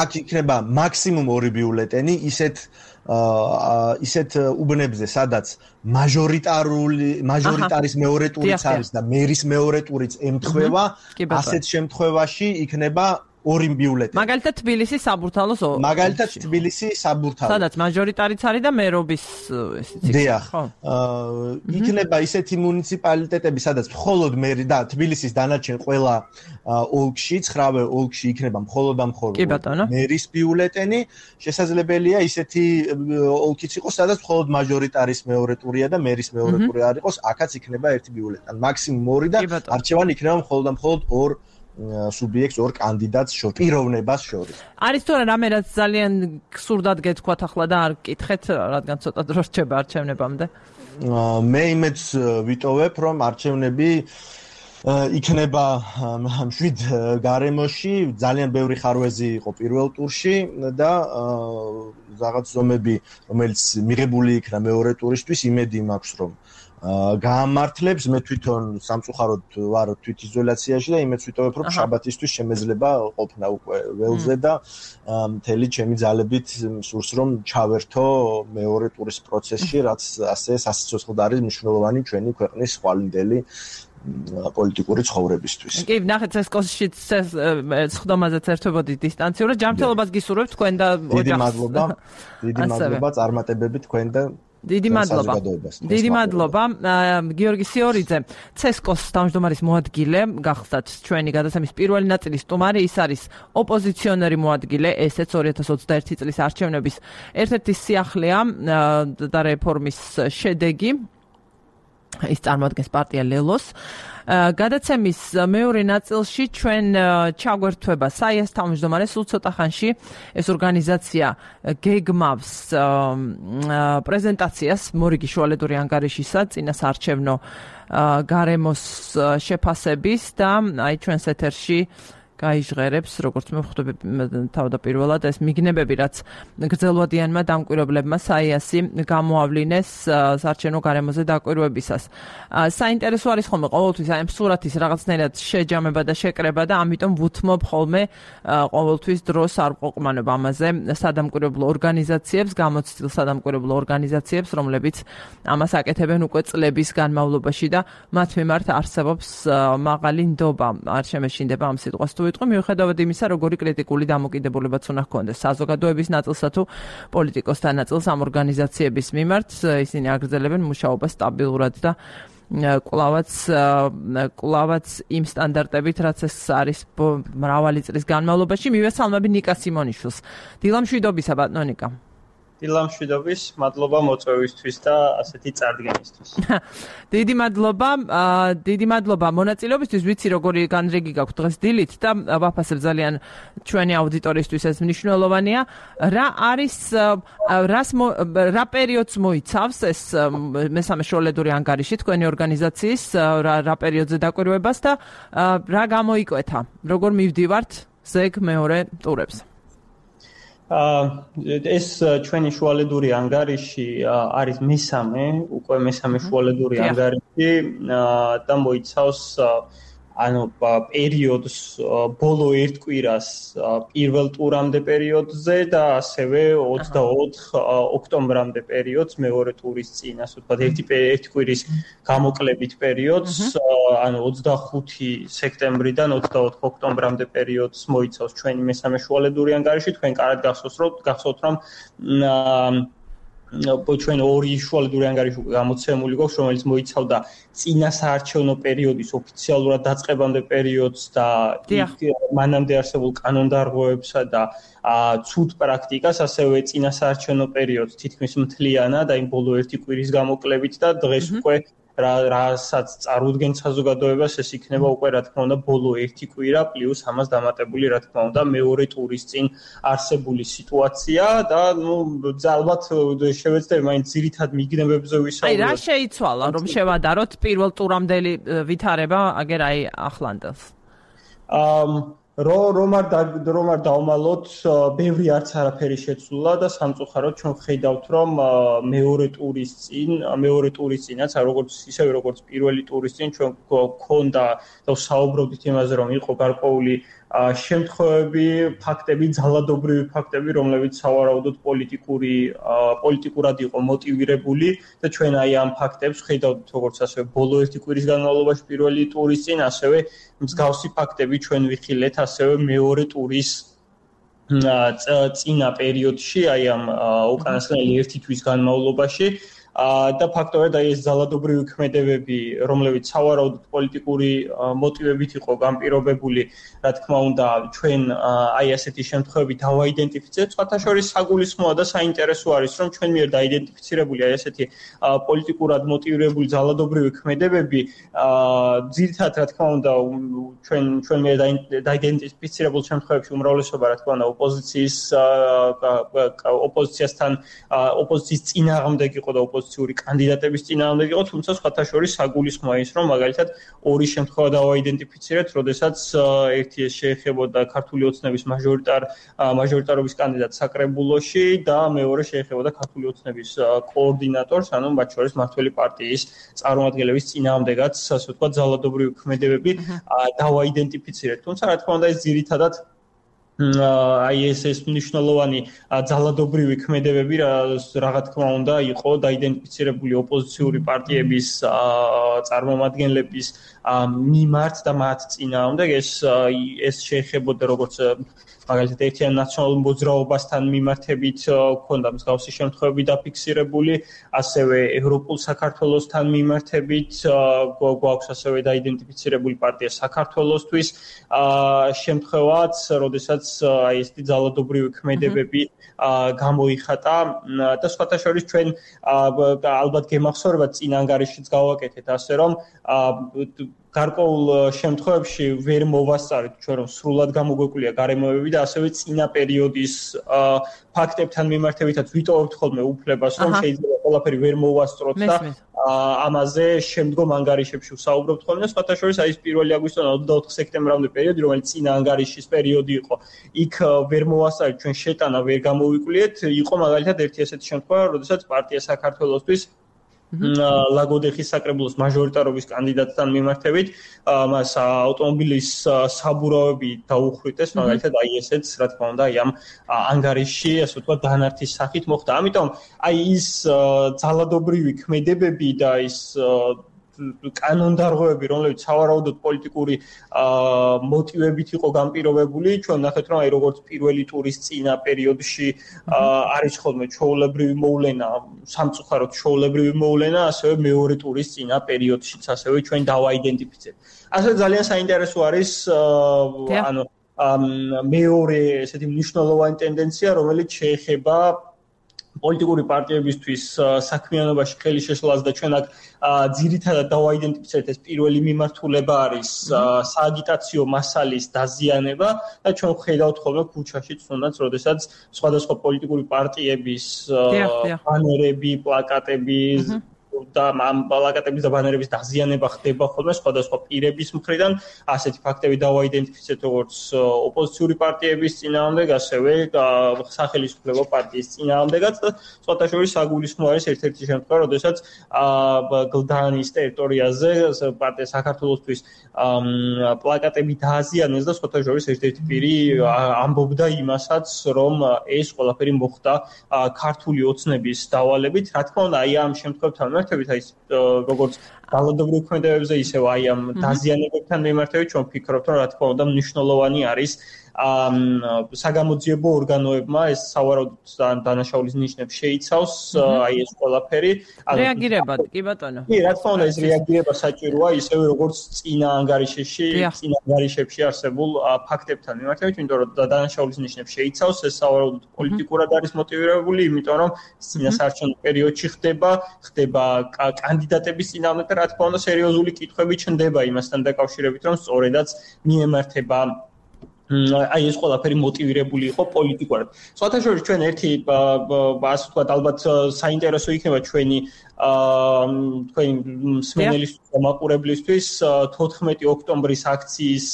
აქ იქნება მაქსიმუმ 2 ბიულეტენი, ისეთ ისეთ უბნებზე, სადაც მაჟორიტარის მეორე ტურიც არის და მერის მეორე ტურიც ემთხვევა, ასეთ შემთხვევაში იქნება ორი ბიულეტენი. მაგალითად თბილისის საბურთალოს სადაც მაჟორიტარიც არის და მერობის დიახ. იქნება ისეთი მუნიციპალიტეტები, სადაც მხოლოდ მერი და თბილისის დანარჩენ ყველა ოლქში, 9 ოლქში იქნება მხოლოდ მერის ბიულეტენი. შესაძლებელია ისეთი ოლქიც იყოს, სადაც მხოლოდ მაჟორიტარის მეორე ტურია და მერის მეორე ტური არ იყოს, აქაც იქნება ერთი ბიულეტენი. მაქსიმუმ 2 და არჩევანი იქნება მხოლოდ 2 სუბიექტს, 2 კანდიდატს შორის, პიროვნებას შორის. არის თორე რამე რაც ძალიან გსურდათ გეთქვათ ახლა და არ გკითხეთ, რადგან ცოტა დრო რჩება არჩევნებამდე? მე იმედს ვიტოვებ, რომ არჩევნები იქნება 7 გარემოში, ძალიან ბევრი ხარვეზი იყო პირველ ტურში და რაღაც ზომები, რომელიც მიღებული იქნა მეორე ტურისთვის, იმედი მაქვს, რომ გაამართლებს. მე თვითონ სამწუხაროდ ვარ თვითიზოლაციაში და იმედს ვიტოვებ, რომ შაბათისთვის შემეძლება ყოფნა უკვე ველზე და მთელი ჩემი ძალებით სურს რომ ჩავერთო მეორე ტურის პროცესში, რაც ასე სასიცოცხლოდ არის მნიშვნელოვანი ჩვენი ქვეყნის ხვალინდელი პოლიტიკური ცხოვრებისთვის. კი, ნახეთ CSKOS-შიც სხდომაზეც ერთვებოდი დისტანციურად. ჯანმრთელობას გისურვებთ თქვენ და ოჯახს. დიდი მადლობა წარმატებები თქვენ და დიდი მადლობა. გიორგი სიორიძე, CSKOS-ის თავმჯდომარის მოადგილე, გახსდათ ჩვენი გადაცემის პირველი ნაწილის სტუმარი, ის არის ოპოზიციონერი მოადგილე, ესეც 2021 წლის არჩევნების ერთ-ერთი სიახლეა და რეფორმის შედეგი. ის წარმოადგენს პარტია ლელოს. გადაცემის მეორე ნაწილში ჩვენ ჩაგვერთვება საიას თავმჯდომარე სულ ცოტა ხანში ეს ორგანიზაცია გეგმავს პრეზენტაციას მორიგი შუალედური ანგარიშისა წინასაარჩევნო გარემოს შეფასების და აი ჩვენს ეთერში გაიჟღერებს, როგორც მე ვხვდები თავდაპირველად, ეს მიგნებები, რაც გრძელვადიანმა დამკვირვებლებმა საიასი გამოავლინეს საარჩევნო გარემოზე დაკვირვებისას. საინტერესო არის ხოლმე ყოველთვის აი სურათის რაღაცნაირად შეჯამება და შეკრება და ამიტომ ვუთმობ ხოლმე ყოველთვის დროს არ ვყოყმანებ ამაზე სადამკვირვებლო ორგანიზაციებს, გამოცდილ სადამკვირვებლო ორგანიზაციებს, რომლებიც ამას აკეთებენ უკვე წლების განმავლობაში და მათ მიმართ არსებობს მაღალი ნდობა. არ შემეშინდება ამ სიტყვას თუ მიუხედავად იმისა, როგორი კრიტიკული დამოკიდებულებაც უნდა ჰქონდეს საზოგადოების ნაწილსა თუ პოლიტიკოსთა ნაწილს ამ ორგანიზაციების მიმართ, ისინი აგრძელებენ მუშაობას სტაბილურად და კვლავაც იმ სტანდარტებით, რაც ეს არის მრავალი წლის განმავლობაში. მივესალმები ნიკა სიმონიშვილს. დილამშვიდობისა, ბატონო ნიკა. დილამშვიდობის, მადლობა მოწვევისთვის და ასეთი წარდგენისთვის. დიდი მადლობა მონაწილეობისთვის. ვიცი როგორი განრიგი გაქვთ დღეს დილით და ვაფასებ ძალიან ჩვენი აუდიტორიისთვის ეს მნიშვნელოვანია. რა არის რა პერიოდს მოიცავს ეს მესამე შუალედური ანგარიში თქვენი ორგანიზაციის რა პერიოდზე დაკვირვებას და რა გამოიკვეთა? როგორ მივდივართ ზეგ მეორე ტურებს? ეს ჩვენი შუალედური ანგარიში არის მესამე შუალედური ანგარიში და მოიცავს პერიოდს ბოლო ერთ კვირას პირველ ტურამდე პერიოდზე და ასევე 24 ოქტომბრამდე პერიოდს მეორე ტურის წინ, ასე ვთქვათ, ერთი კვირის გამოკლებით პერიოდს, 25 სექტემბრიდან 24 ოქტომბრამდე პერიოდს მოიცავს ჩვენი მესამე შუალედური ანგარიში. თქვენ კარგად გახსოვთ, რომ ჩვენ ორი შუალედური ანგარიში გამოცემული გვაქვს, რომელიც მოიცავდა წინასაარჩევნო პერიოდის ოფიციალურად დაწყებამდე პერიოდს და მანამდე არსებულ კანონდარღვევებსა და ცუდ პრაქტიკას, ასევე წინასაარჩევნო პერიოდს თითქმის მთლიანად, აი ბოლო ერთი კვირის გამოკლებით და დღეს უკვე რასაც წარუდგენთ საზოგადოებას, ეს იქნება უკვე რა თქმა უნდა ბოლო ერთი კვირა პლუს ამას დამატებული რა თქმა უნდა მეორე ტურის წინ არსებული სიტუაცია და ალბათ შევეცდები მაინც ძირითად მიგნებებზე ვისაუბროთ. აი რა შეიცვალა რომ შევადაროთ პირველ ტურამდელი ვითარება აგერ აი ახლანდელს? რომ არ დავმალოთ, ბევრი არც არაფერი შეცვლა და სამწუხაროდ ჩვენ ვხედავთ, რომ მეორე ტურის წინაც, ისევე როგორც პირველი ტურის წინ ჩვენ გვქონდა და ვსაუბრობდით იმაზე, რომ იყო გარკვეული შემთხვევები, ფაქტები, ძალადობრივი ფაქტები, რომლებიც სავარაუდოდ პოლიტიკურად იყო მოტივირებული და ჩვენ აი ამ ფაქტებს ხედავთ როგორც ასევე ბოლო ერთი კვირის განმავლობაში პირველი ტურის წინ, ასევე მსგავსი ფაქტები ჩვენ ვიხილეთ ასევე მეორე ტურის წინა პერიოდში, აი ამ უკანასკნელი ერთი თვის განმავლობაში და ფაქტობრივად აი ეს ძალადობრივი ქმედებები, რომლებიც სავარაუდოდ პოლიტიკური მოტივებით იყო განპირობებული, რა თქმა უნდა, ჩვენ აი ასეთი შემთხვევები დავაიდენტიფიცირეთ. სხვათა შორის საგულისხმოა და საინტერესო არის, რომ ჩვენ მიერ დაიდენტიფიცირებული აი ასეთი პოლიტიკურად მოტივირებული ძალადობრივი ქმედებები, ძირითადად რა თქმა უნდა, ჩვენ მიერ დაიდენტიფიცირებულ შემთხვევებში უმრავლესობა რა თქმა უნდა ოპოზიციის წინააღმდეგ იყო და ოპოზიციური კანდიდატების წინააღმდეგ იყო, თუმცა სხვათა შორის საგულისხმოა ის, რომ მაგალითად ორი შემთხვევა დავაიდენტიფიცირეთ, როდესაც ერთი ეს შეეხებოდა ქართული ოცნების მაჟორიტარობის კანდიდატს საკრებულოში და მეორე შეეხებოდა ქართული ოცნების კოორდინატორს, ანუ მათ შორის მართველი პარტიის წარმომადგენლების წინააღმდეგაც, ასე ვთქვათ, ძალადობრივი ქმედებები დავაიდენტიფიცირეთ. თუმცა რა თქმა უნდა ეს ძირითადად აი ეს მნიშვნელოვანი ძალადობრივი ქმედებები რა თქმა უნდა იყო დაიდენტიფიცირებული ოპოზიციური პარტიების წარმომადგენლების მიმართ და მათ წინააღმდეგ ეს შეეხებოდა როგორც მაგალითად ერთიან ნაციონალურ მოძრაობასთან მიმართებით ქონდა მსგავსი შემთხვევები დაფიქსირებული, ასევე ევროპულ საქართველოსთან მიმართებით გვაქვს ასევე დაიდენტიფიცირებული პარტია საქართველოსთვის შემთხვევაც, როდესაც აი ესეთი ძალადობრივი ქმედებები გამოიხატა და სხვათა შორის ჩვენ ალბათ გემახსოვრებათ წინ ანგარიშიც გავაკეთეთ, ასე რომ გარკვეულ შემთხვევებში ვერ მოვასწარეთ ჩვენ რომ სრულად გამოგვეკვლია გარემოებები და ასევე წინა პერიოდის ფაქტებთან მიმართებითაც ვიტოვებთ ხოლმე უფლებას რომ შეიძლება ყველაფერი ვერ მოვასწროთ და ამაზე შემდგომ ანგარიშებში ვსაუბრობთ ხოლმე. სხვათა შორის აი ეს 1 აგვისტოდან 24 სექტემბრამდე პერიოდი, რომელიც წინა ანგარიშის პერიოდი იყო, იქ ვერ მოვასწარეთ ჩვენ შეტანა ვერ გამოვიკვლიეთ, იყო მაგალითად ერთი ასეთი შემთხვევა, როდესაც პარტია საქართველოსთვის ლაგოდეხის საკრებულოს მაჟორიტარობის კანდიდატთან მიმართებით მას ავტომობილის საბურავები დაუხრიტეს, მაგალითად აი ესეც რა თქმა უნდა აი ამ ანგარიშში ასე ვთქვათ დანართის სახით მოხდა. ამიტომ აი ის ძალადობრივი ქმედებები და ის კანონდარღვევები, რომლებიც სავარაუდოდ პოლიტიკური მოტივებით იყო განპირობებული, ჩვენ ნახეთ რომ აი როგორც პირველი ტურის წინა პერიოდში არის ხოლმე ჩვეულებრივი მოვლენა, სამწუხაროდ ჩვეულებრივი მოვლენა, ასევე მეორე ტურის წინა პერიოდშიც ასევე ჩვენ დავაიდენტიფიცირეთ. ასევე ძალიან საინტერესო არის ანუ მეორე ესეთი მნიშვნელოვანი ტენდენცია, რომელიც შეეხება პოლიტიკური პარტიებისთვის საქმიანობაში ხელი შეშლას და ჩვენ აქ ძირითადად დავაიდენტიფიცირეთ ეს პირველი მიმართულება არის სააგიტაციო მასალის დაზიანება და ჩვენ ხედავთ ხოლმე ქუჩაში თუნდაც როდესაც სხვადასხვა პოლიტიკური პარტიების ბანერები, პლაკატები და ამ პლაკატების და ბანერების დაზიანება ხდება ხოლმე სხვადასხვა პირების მხრიდან. ასეთი ფაქტები დავაიდენტიფიცირეთ როგორც ოპოზიციური პარტიების წინააღმდეგ, ასევე სახელმწიფო პარტიის წინააღმდეგაც და სხვათა შორის საგულისხმო არის ერთ-ერთი შემთხვევა, როდესაც გლდანის ტერიტორიაზე პარტია საქართველოსთვის პლაკატები დააზიანეს და სხვათა შორის ერთ-ერთი პირი ამბობდა იმასაც, რომ ეს ყველაფერი მოხდა ქართული ოცნების დავალებით. რა თქმა უნდა, აი ამ შემთხვევებთან მიმართებით აი როგორც ძალადობრივ ქმედებებზე ისევ აი ამ დაზიანებებთან მიმართებით ჩვენ ვფიქრობთ რომ რა თქმა უნდა მნიშვნელოვანი არის საგამოძიებო ორგანოებმა ეს სავარაუდოდ დანაშაულის ნიშნებს შეიცავს აი ეს ყველაფერი რეაგირებად კი ბატონო კი რა თქმა უნდა ეს რეაგირება საჭიროა ისევე როგორც წინა ანგარიშებში არსებულ ფაქტებთან მიმართებით იმიტომ რომ დანაშაულის ნიშნებს შეიცავს ეს სავარაუდოდ პოლიტიკურად არის მოტივირებული იმიტომ რომ წინასაარჩევნო პერიოდში ხდება კანდიდატების წინააღმდეგ და რა თქმა უნდა სერიოზული კითხვები ჩნდება იმასთან დაკავშირებით რომ სწორედაც მიემართება აი ეს ყველაფერი მოტივირებული იყო პოლიტიკურად. სხვათა შორის ჩვენ ერთი ასე ვთქვათ ალბათ საინტერესო იქნება ჩვენი თქვენი მსმენელისთვის და მაყურებლისთვის 14 ოქტომბრის აქციის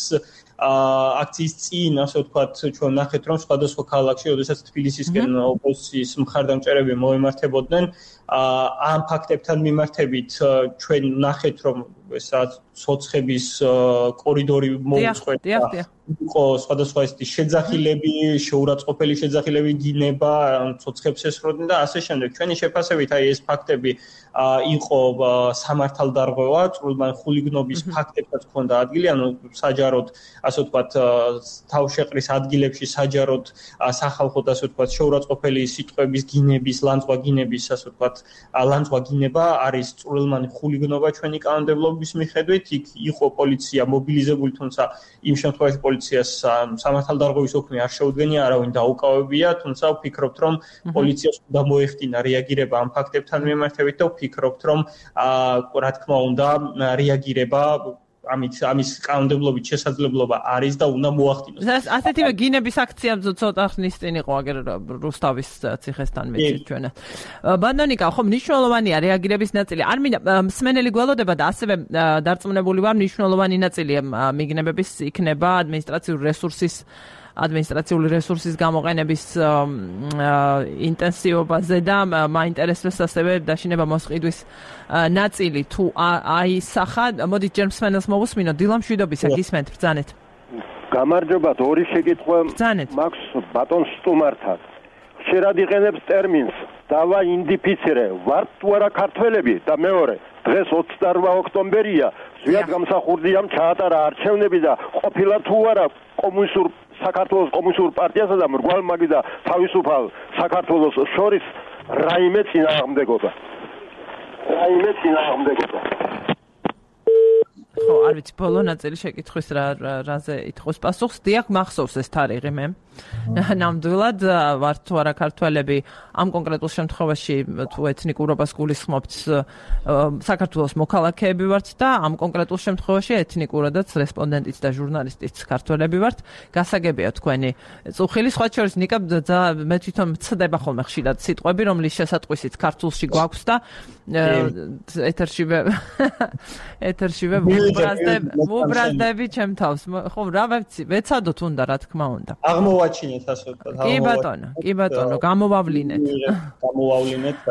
წინ, ასე ვთქვათ, ჩვენ ნახეთ, რომ სხვადასხვა ქალაქში, როდესაც თბილისისკენ ოპოზიციის მხარდამჭერები მოემართებოდნენ, ამ ფაქტებთან მიმართებით ჩვენ ნახეთ, რომ ეს რაც ცოცხების კორიდორი მოუწყვეტა. იყო სხვადასხვა ესეთი შეძახილები, შეურაცხყოფელი შეძახილები გინება, ცოცხებს ესროდნენ და ასე შემდეგ. ჩვენი შეფასებით აი ეს ფაქტები იყო სამართალდარღვევა, წვრილმან ხულიგნობის ფაქტებსაც ჰქონდა ადგილი, ანუ საჯაროდ, ასე ვთქვათ, თავშეყრის ადგილებში საჯაროდ სახალხოდ, ასე ვთქვათ, შეურაცხყოფელი სიტყვების გინების, ლანძღვა გინების, ასე ვთქვათ, ლანძღვა გინება არის წვრილმანი ხულიგნობა ჩვენი კანონმდებლობის მიხედვით. იქ იყო პოლიცია მობილიზებული, თუმცა იმ შემთხვევაში პოლიციას სამართალდარღვევის ოქმი არ შეუდგენია, არავინ დაუკავებია, თუმცა ვფიქრობთ, რომ პოლიციას უნდა მოეხდინა რეაგირება ამ ფაქტებთან მიმართებით და ვფიქრობთ, რომ რა თქმა უნდა რეაგირება ამის კანონმდებლობით შესაძლებლობა არის და უნდა მოახდინოს. ასეთივე გინების აქცია ცოტა ხნის წინ იყო აგერ რუსთავის ციხესთან მეცით ჩვენად. ბანდონიკა, ხო მნიშვნელოვანია რეაგირების ნაწილი. არ მინდა მსმენელი გველოდება და ასევე დარწმუნებული ვარ მნიშვნელოვანი ნაწილი მიგნებების იქნება ადმინისტრაციული რესურსის გამოყენების ინტენსივობაზე და მაინტერესებს ასევე დაშინება მოსყიდვის ნაწილი თუ აისახა. მოდით ჯერ მსმენელს მოვუსმინოთ. დილა მშვიდობისა, გისმენთ, ბრძანეთ. გამარჯობათ, ორი შეკითხვა მაქვს ბატონ სტუმართან. ხშირად იყენებს ტერმინს დავაიდენტიფიცირე, ვართ თუ არა ქართველები და მეორე, დღეს 28 ოქტომბერია, ზვიად გამსახურდია ჩაატარა არჩევნები და ყოფილა თუ არა საქართველოს კომუნისტურ პარტიასა და მრგვალ-მაგი და თავისუფალ საქართველოს შორის რაიმე წინააღმდეგობა. ხო, არ ვიცი, ბოლო ნაწილი შეკითხვის რაზე ითხოვს პასუხს. დიახ, მახსოვს ეს თარიღი მე. ნამდვილად ვართ თუ არა ქართველები ამ კონკრეტულ შემთხვევაში თუ ეთნიკურობას გულისხმობთ საქართველოს მოქალაქეები ვართ და ამ კონკრეტულ შემთხვევაში ეთნიკურადაც რესპონდენტიც და ჟურნალისტიც ქართველები ვართ. გასაგებია თქვენი წუხილი, სხვა შორის ნიკა მე თვითონ მცდება ხოლმე ხშირად სიტყვები, რომლის შესატყვისით ქართულში გვაქვს და ეთერშივე ვუბრაზდები ჩემ თავს. ხო, რა ვიცი, ვეცადოთ უნდა, რა თქმა უნდა. აღმოვაჩინეთ ასე ვთქვათ. კი ბატონო, გამოვავლინეთ. რა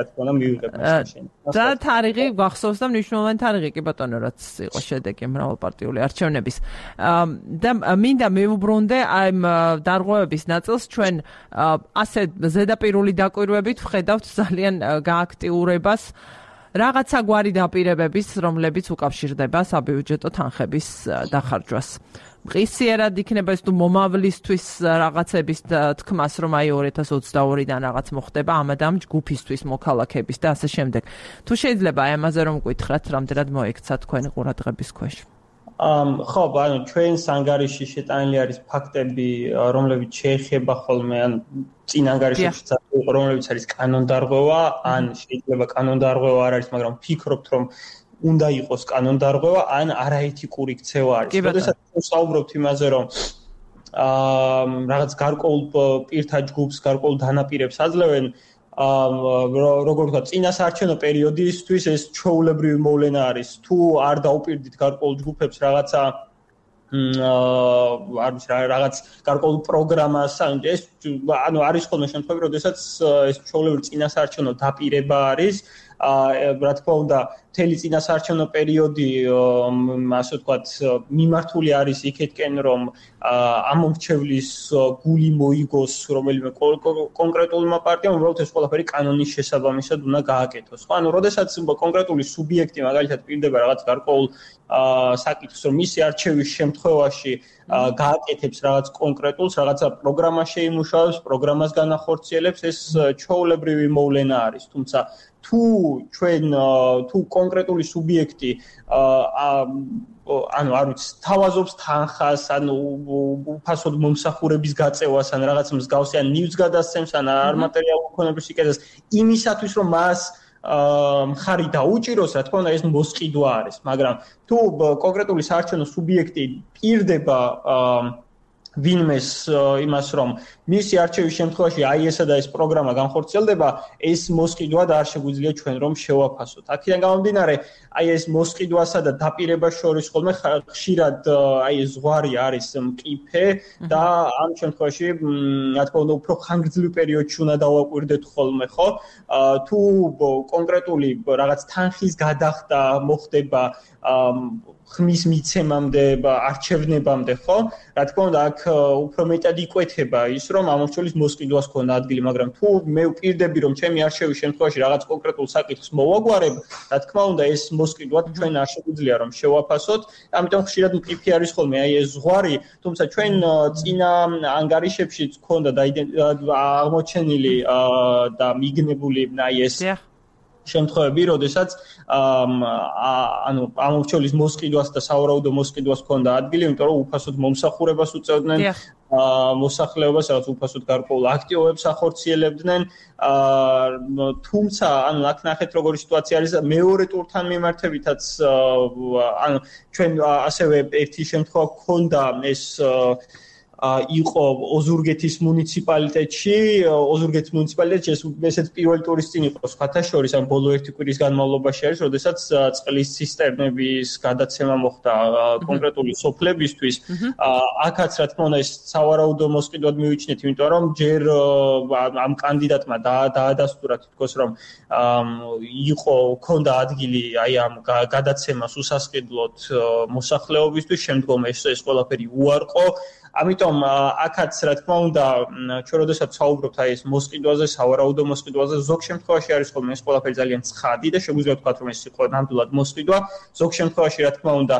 თქმა უნდა, მივიღებ მაშინ. და თარიღი გახსოვს და მნიშვნელოვანი თარიღი კი ბატონო, რაც იყო შედეგი მრავალპარტიული არჩევნების. და მინდა მივუბრუნდე აი დარღვევების ნაწილს ჩვენ ასე ზედაპირული დაკვირვებით ვხედავთ ძალიან გააქტიურებას რაღაცა გვარი დაპირებების, რომლებიც უკავშირდება საბიუჯეტო თანხების დახარჯვას. მყისიერად იქნება ეს თუ მომავლისთვის რაღაცების თქმას, რომ აი 2022-დან რაღაც მოხდება ამ ჯგუფისთვის მოქალაქეების და ასე შემდეგ. თუ შეიძლება აი ამაზე რომ გითხრათ, რამდენად მოექცა თქვენი ყურადღების ქვეშ. ხო, ანუ ჩვენს ანგარიში შეტანილი არის ფაქტები, რომლებიც შეეხება ხოლმე ან წინ ანგარიშებში რომლებიც არის კანონდარღვევა, ან შეიძლება კანონდარღვევა არ არის, მაგრამ ვფიქრობთ, რომ უნდა იყოს კანონდარღვევა, ან არაეთიკური ქცევა არის. როდესაც ვსაუბრობთ იმაზე, რომ რაღაც გარკვეულ პირთა ჯგუფს, გარკვეულ დანაპირებს აძლევენ, როგორ ვთქვა, წინასაარჩევნო პერიოდისთვის ეს ჩვეულებრივი მოვლენა არის. თუ არ დაუპირდით გარკვეულ ჯგუფებს რაღაცა რაღაც გარკვეულ პროგრამას, ეს ანუ არის ხოლმე შემთხვევები, როდესაც ეს ჩვეულებრივი წინასაარჩევნო დაპირება არის. რა თქმა უნდა, მთელი წინასაარჩევნო პერიოდი, ასე ვთქვათ, მიმართული არის იქეთკენ, რომ ამომრჩევლის გული მოიგოს რომელიმე კონკრეტულმა პარტიამ, უბრალოდ ეს ყველაფერი კანონის შესაბამისად უნდა გააკეთოს. ხო, ანუ როდესაც კონკრეტული სუბიექტი მაგალითად პირდება რაღაც გარკვეულ საკითხს, რომ მისი არჩევის შემთხვევაში გააკეთებს რაღაც კონკრეტულს, რაღაცა პროგრამა შეიმუშავებს, პროგრამას განახორციელებს, ეს ჩვეულებრივი მოვლენა არის. თუმცა თუ კონკრეტული სუბიექტი ანუ არ ვიცი, თავაზობს თანხას, ანუ უფასოდ მომსახურების გაწევას, ან რაღაც მსგავსი, ან ნივთს გადასცემს, ან არმატერიალურ ქონებას იკეთებს, იმისათვის რომ მას მხარი დაუჭიროს, რა თქმა უნდა, ეს მოსყიდვა არის, მაგრამ თუ კონკრეტული საარჩევნო სუბიექტი პირდება ვინმეს იმას რომ მისი არჩევის შემთხვევაში აი ესა და ეს პროგრამა განხორციელდება, ეს მოსყიდვად არ შეგვიძლია ჩვენ რომ შევაფასოთ. აქედან გამომდინარე, აი ეს მოსყიდვასა და დაპირებას შორის ხოლმე ხშირად აი ეს ზღვარი არის მყიფე და ამ შემთხვევაში რა თქმა უნდა უფრო ხანგრძლივ პერიოდში უნდა დავაკვირდეთ ხოლმე, ხო? თუ კონკრეტული რაღაც თანხის გადახდა მოხდება ხმის მიცემამდე, არჩევნებამდე, ხო? რა თქმა უნდა, აქ უფრო მეტად იკვეთება ის, რომ ამორჩეულის მოსყიდვას ქონდა ადგილი, მაგრამ თუ მე ვპირდები, რომ ჩემი არჩევის შემთხვევაში რაღაც კონკრეტულ საკითხს მოვაგვარებ, რა თქმა უნდა, ეს მოსყიდვა ჩვენ არ შეგვიძლია რომ შევაფასოთ. ამიტომ ხშირად მყიფე არის ხოლმე აი ეს ზღვარი, თუმცა ჩვენ წინა ანგარიშებშიც ქონდა აღმოჩენილი და მიგნებული აი ეს შემთხვევები, როდესაც ანუ ამორჩეულის მოსყიდვას და სავარაუდო მოსყიდვას ქონდა ადგილი, იმიტომ რომ უფასოდ მომსახურებას უწევდნენ მოსახლეობას, რაღაც უფასოდ გარკვეულ აქტივობებს ახორციელებდნენ. თუმცა, ანუ აქ ნახეთ როგორი სიტუაცია არის მეორე ტურთან მიმართებითაც, ანუ ჩვენ ასევე ერთი შემთხვევა ქონდა ეს იყო ოზურგეთის მუნიციპალიტეტში, ესეც პირველი ტურის წინ იყო სხვათა შორის, ან ბოლო ერთი კვირის განმავლობაში არის, როდესაც წყლის ცისტერნების გადაცემა მოხდა კონკრეტული სოფლებისთვის. აქაც რა თქმა უნდა ეს სავარაუდო მოსყიდვად მივიჩნეთ, იმიტომ რომ ჯერ ამ კანდიდატმა დაადასტურა თითქოს რომ ქონდა ადგილი აი ამ გადაცემას უსასყიდლოდ მოსახლეობისთვის, შემდგომ ეს ყველაფერი უარყო. ამიტომ აქაც რა თქმა უნდა ჩვენ როდესაც საუბრობთ აი ეს მოსყიდვაზე, სავარაუდო მოსყიდვაზე, ზოგ შემთხვევაში არის ხოლმე ეს ყველაფერი ძალიან ცხადი და შეგვიძლია ვთქვათ რომ ეს იყო ნამდვილად მოსყიდვა. ზოგ შემთხვევაში რა თქმა უნდა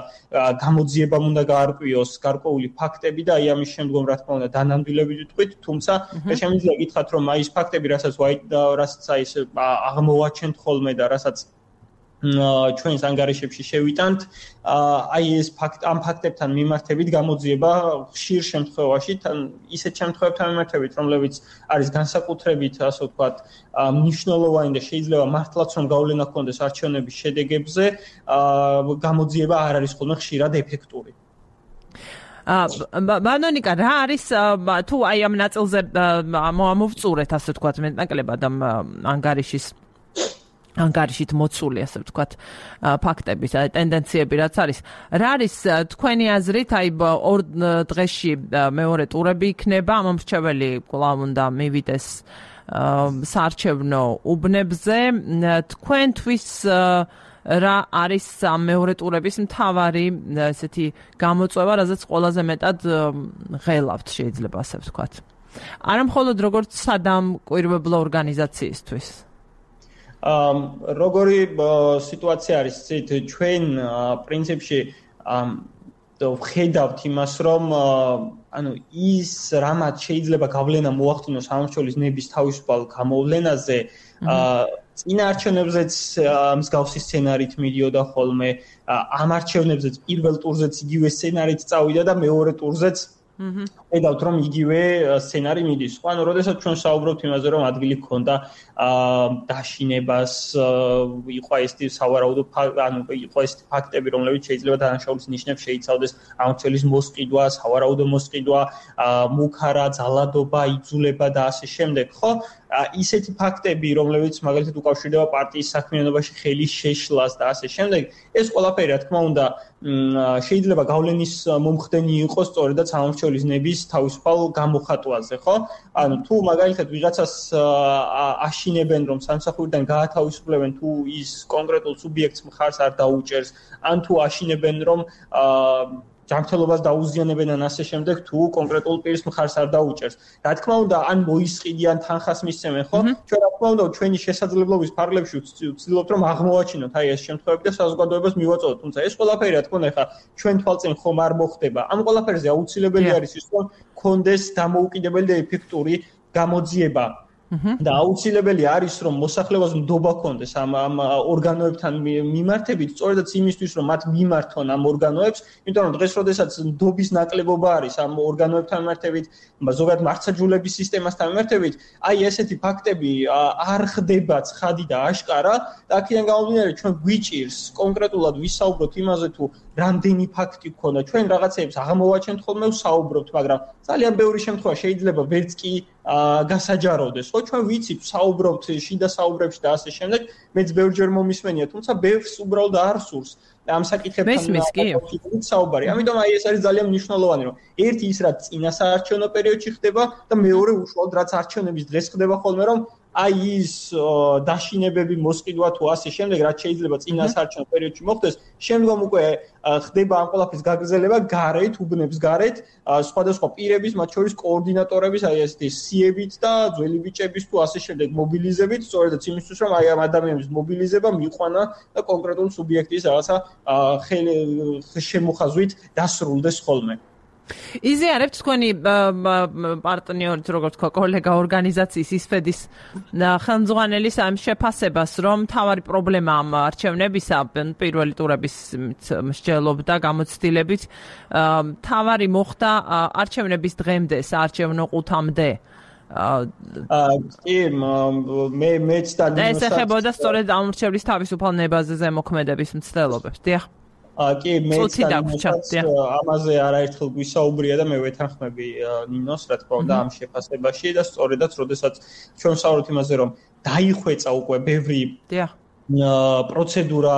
გამოძიებამ უნდა გაარკვიოს გარკვეული ფაქტები და აი ამის შემდგომ რა თქმა უნდა დანამდვილებით ვიტყვით, თუმცა შემიძლია გითხრათ რომ აი ეს ფაქტები, რასაც აი ეს აღმოვაჩენთ ხოლმე და რასაც ჩვენს ანგარიშებში შევიტანთ, აი ეს ამ ფაქტებთან მიმართებით გამოძიება ხშირ შემთხვევაში, ისეთ შემთხვევებთან მიმართებით, რომლებიც არის განსაკუთრებით, ასე ვთქვათ, მნიშვნელოვანი და შეიძლება მართლაც რომ გავლენა ჰქონდეს არჩევნების შედეგებზე, გამოძიება არ არის ხოლმე ხშირად ეფექტური. ბანონიკა, რა არის თუ აი ამ ნაწილზე მოვწურეთ, ასე ვთქვათ, მეტნაკლებად ამ ანგარიშით მოცული, ასე ვთქვათ, ფაქტების, ტენდენციები რაც არის. რა არის თქვენი აზრით, აი ორ დღეში მეორე ტურები იქნება, ამომრჩეველი კვლავ უნდა მივიდეს საარჩევნო უბნებზე. თქვენთვის რა არის მეორე ტურების მთავარი ესეთი გამოწვევა, რაზეც ყველაზე მეტად ღელავთ, შეიძლება ასე ვთქვათ. არა მხოლოდ როგორც სადამკვირვებლო ორგანიზაციისთვის. როგორი სიტუაცია არის ცით ჩვენ პრინციპში ვხედავთ იმას რომ ანუ ის რამაც შეიძლება გავლენა მოახდინოს ამორჩეულის ნების თავისუფალ გამოვლენაზე წინა არჩევნებზეც მსგავსი სცენარით მიდიოდა ხოლმე ამ არჩევნებზეც პირველ ტურზეც იგივე სცენარით წავიდა და მეორე ტურზეც ხედავთ რომ იგივე სცენარი მიდის. ანუ როდესაც ჩვენ საუბრობთ იმაზე რომ ადგილი გქონდა დაშინებას, იყო ეს სავარაუდო ანუ იყო ეს ფაქტები რომლებიც შეიძლება დანაშაულის ნიშნებს შეიცავდეს ამორჩეულის მოსყიდვა, სავარაუდო მოსყიდვა, მუქარა, ძალადობა, იძულება და ასე შემდეგ, ხო? ისეთი ფაქტები რომლებიც მაგალითად უკავშირდება პარტიის საქმიანობაში ხელის შეშლას და ასე შემდეგ, ეს ყველაფერი რა თქმა უნდა შეიძლება გავლენის მომხდენი იყოს სწორედაც ამორჩეულის ნების თავისუფალ გამოხატვაზე, ხო? ანუ თუ მაგალითად ვიღაცას აშინებენ რომ სამსახურიდან გაათავისუფლებენ თუ ის კონკრეტულ სუბიექტს მხარს არ დაუჭერს, ან თუ აშინებენ რომ ჯანმრთელობას დაუზიანებენ ან ასე შემდეგ თუ კონკრეტულ პირს მხარს არ დაუჭერს. რა თქმა უნდა, ან მოისყიდიან თანხას მისცემენ, ხო? ჩვენ რა თქმა უნდა ჩვენი შესაძლებლობის ფარგლებში ვცდილობთ რომ აღმოვაჩინოთ აი ეს შემთხვევები და საზოგადოებას მივაწოდოთ. თუმცა ეს ყველაფერი რა თქმა უნდა ხა ჩვენ თვალწინ ხომ არ მოხდება. ამ ყველაფერზე აუცილებელი არის ის რომ კონდეს დამოუკიდებელი და ეფექტური გამოძიება. და აუცილებელი არის რომ მოსახლეობას ნდობა ჰქონდეს ამ ორგანოებთან მიმართებით, სწორედაც იმისთვის რომ მათ მიმართონ ამ ორგანოებს, იმიტომ რომ დღეს როდესაც ნდობის ნაკლებობა არის ამ ორგანოებთან მიმართებით, ზოგადად მართლმსაჯულების სისტემასთან მიმართებით, აი ესეთი ფაქტები არ ხდება ცხადი და აშკარა და აქედან გამომდინარე ჩვენ გვიჭირს კონკრეტულად ვისაუბროთ იმაზე თუ რამდენი ფაქტი გქონდა. ჩვენ რაღაცეებს აღმოვაჩენთ ხოლმე ვსაუბრობთ, მაგრამ ძალიან ბევრი შემთხვევა შეიძლება ვერც კი გასაჯაროდეს. ხო, ჩვენ ვიცით ვსაუბრობთ შიდა საუბრებში და ასე შემდეგ, მეც ბევრჯერ მომისმენია, თუმცა ბევრს უბრალოდ არ სურს ამ საკითხებთან საუბარი. ამიტომ ეს არის ძალიან მნიშვნელოვანი, რომ ერთი ის რაც წინა საარჩევნო პერიოდში ხდება და მეორე უშუალოდ რაც არჩევნების დღეს ხდება ხოლმე, რომ აი ის დაშინებები მოსყიდვა თუ ასე შემდეგ, რაც შეიძლება წინა საარჩევნო პერიოდში მოხდეს, შემდგომ უკვე ხდება ამ ყველაფრის გაგრძელება გარეთ, უბნებს გარეთ, სხვადასხვა პირების, მათ შორის კოორდინატორების, აი ესეთი სიებით და ძველი ბიჭების თუ ასე შემდეგ მობილიზებით, სწორედაც იმისთვის, რომ აი ამ ადამიანების მობილიზება მიყვანა და კონკრეტულ სუბიექტის რაღაცა შემოხაზვით დასრულდეს ხოლმე. იზიარებთ თქვენი პარტნიორით, როგორც თქვა, კოლეგა ორგანიზაციის ისფედის ხელმძღვანელის ამ შეფასებას, რომ მთავარი პრობლემა ამ არჩევნებისა, პირველი ტურების მსჯელობდა გამოცდილებით, მთავარი მოხდა არჩევნების დღემდე, საარჩევნო ყუთამდე. კი, მეც და ესახებოდა სწორედ ამორჩევლის თავისუფალ ნებაზე ზემოქმედების მცდელობებს. დიახ. კი, მეც ამაზე არაერთხელ გვისაუბრია და მე ვეთანხმები ნინოს, რა თქმა უნდა, ამ შეფასებაში და სწორედაც, როდესაც ჩვენ ვსაუბრობთ იმაზე, რომ დაიხვეწა უკვე ბევრი პროცედურა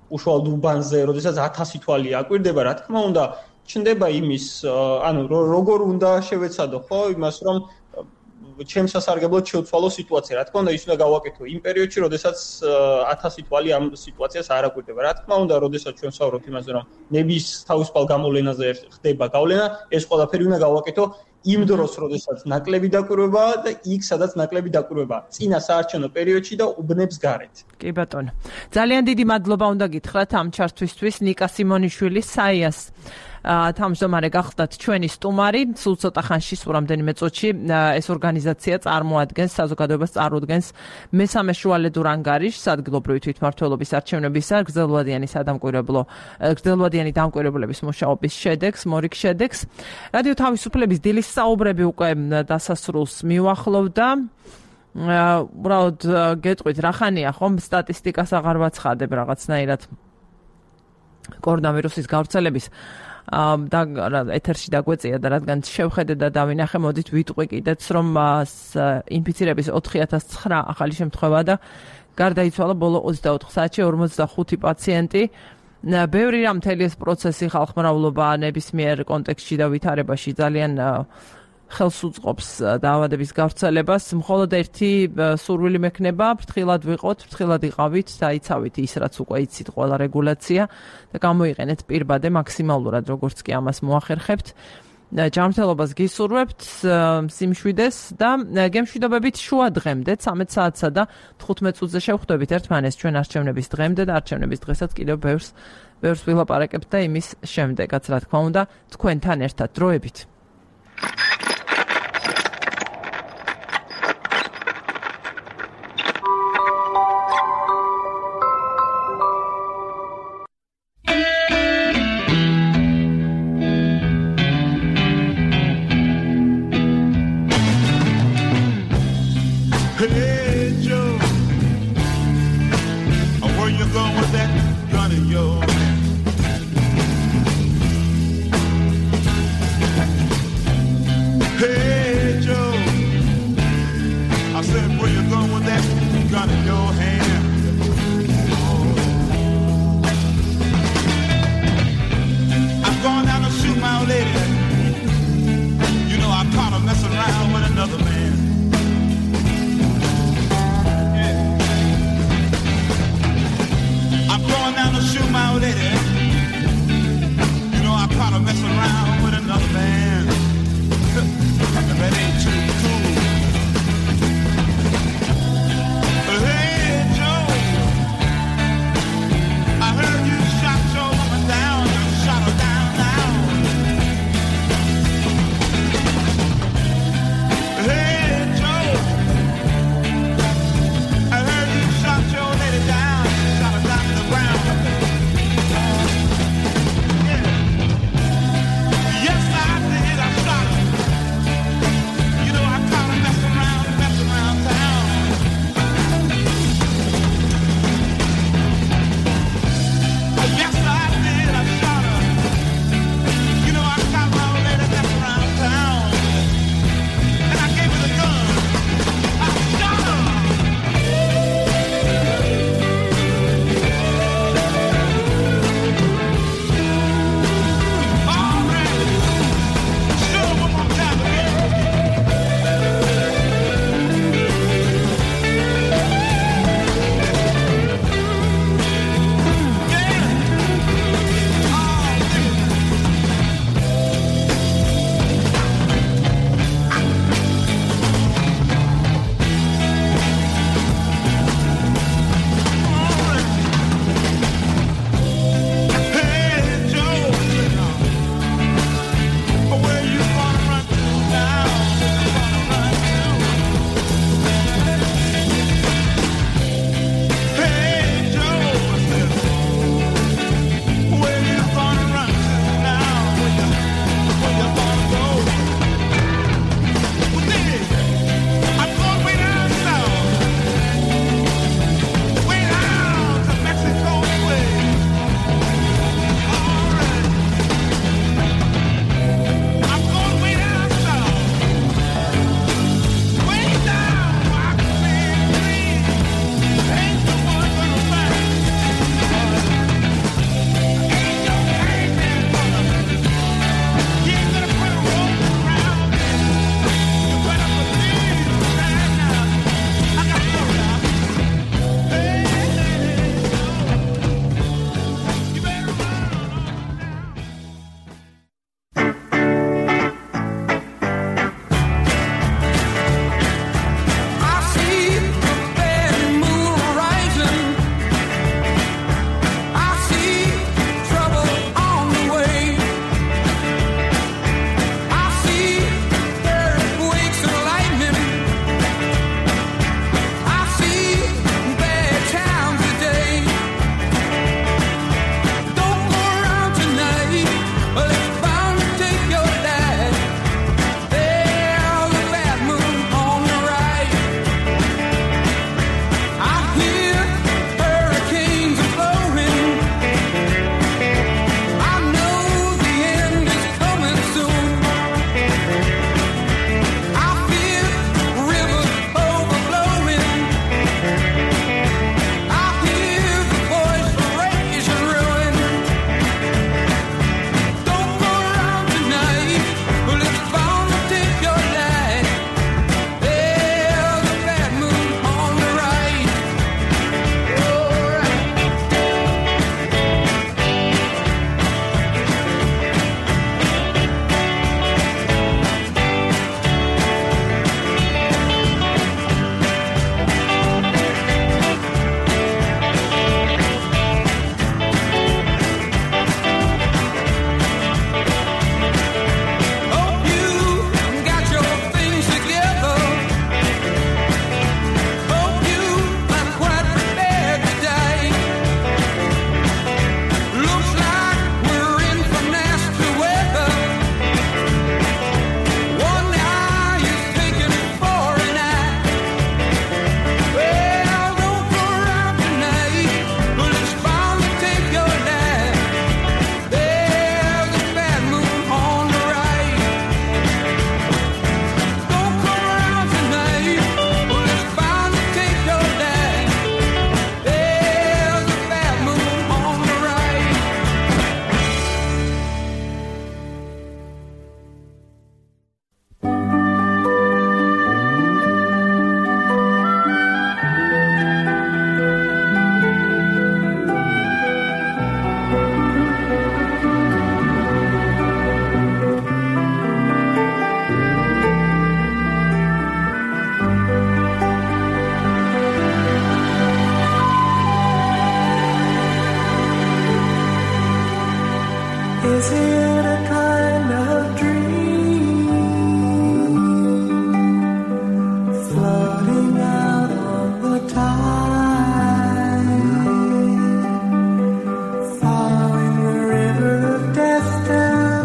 უშუალოდ უბანზე, როდესაც 1000 თვალი აკვირდება, რა თქმა უნდა, ჩნდება იმის, ანუ როგორ უნდა შევეცადო, ხო, იმას, რომ ჩემს სასარგებლოდ შევცვალო სიტუაცია. რა თქმა უნდა, ის უნდა გავაკეთო იმ პერიოდში, როდესაც 1000 თვალი ამ სიტუაციას არ აკვირდება. რა თქმა უნდა, როდესაც ჩვენ ვსაუბრობთ იმაზე, რომ ნების თავისუფალ გამოვლენაზე ხდება გავლენა, ეს ყველაფერი უნდა გავაკეთო იმ დროს, როდესაც ნაკლები დაკვირვება და იქ, სადაც ნაკლები დაკვირვება, წინა საარჩევნო პერიოდში და უბნებს გარეთ. კი ბატონო. ძალიან დიდი მადლობა უნდა გითხრათ ამ ჩართვისთვის ნიკა სიმონიშვილი საიას თავმჯდომარე გახდათ ჩვენი სტუმარი. სულ ცოტა ხანში, სულ რამდენიმე წუთში ეს ორგანიზაცია წარმოადგენს, საზოგადოებას წარმოადგენს მესამე შუალედურ ანგარიშს ადგილობრივი თვითმმართველობის არჩევნებისა გრძელვადიანი დამკვირვებლების მუშაობის შედეგს, მორიგ შედეგს. რადიო თავისუფლების დილის საუბრები უკვე დასასრულს მიუახლოვდა. უბრალოდ გეტყვით, რა ხანია ხომ სტატისტიკას აღარ ვაცხადებ რაღაცნაირად კორონავირუსის გავრცელების და ეთერში დაგვეწია და რადგან შევხედე და დავინახე, მოდით ვიტყვი კიდეც, რომ ინფიცირების 4009 ახალი შემთხვევა და გარდაიცვალა ბოლო 24 საათში 45 პაციენტი. ბევრი რამ მთელი ეს პროცესი ხალხმრავლობა ნებისმიერ კონტექსტში და ვითარებაში ძალიან ხელს უწყობს დაავადების გავრცელებას. მხოლოდ ერთი სურვილი მექნება, ფრთხილად ვიყოთ, ფრთხილად იყავით, დაიცავით ის, რაც უკვე იცით, ყველა რეგულაცია და გამოიყენეთ პირბადე მაქსიმალურად, როგორც კი ამას მოახერხებთ. ჯანმრთელობას გისურვებთ, სიმშვიდეს და გემშვიდობებით შუა დღემდე 13 საათსა და 15 წუთზე შევხვდებით ერთმანეთს ჩვენ არჩევნების დღემდე და არჩევნების დღესაც კიდევ ბევრს ვილაპარაკებთ და იმის შემდეგაც, რა თქმა უნდა, თქვენთან ერთად დროებით. Hey Joe, where you going with that gun of yours?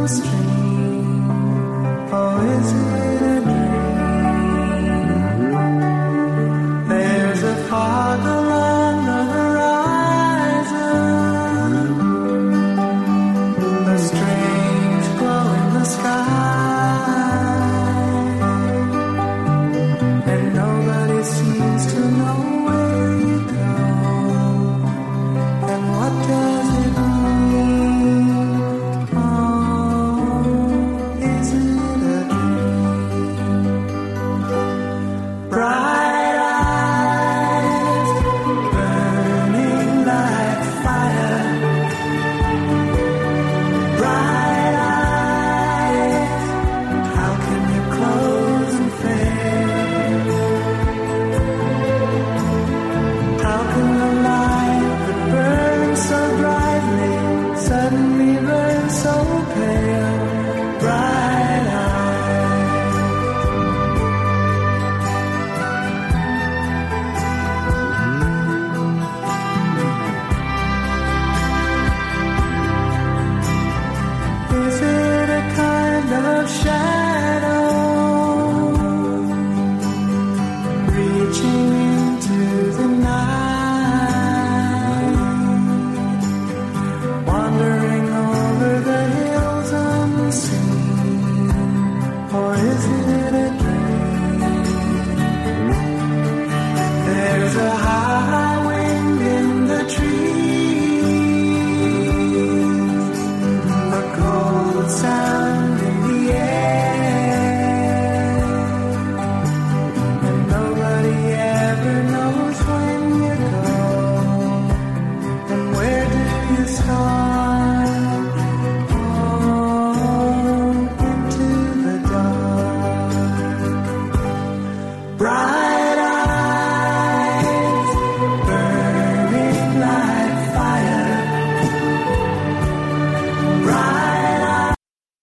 Shadow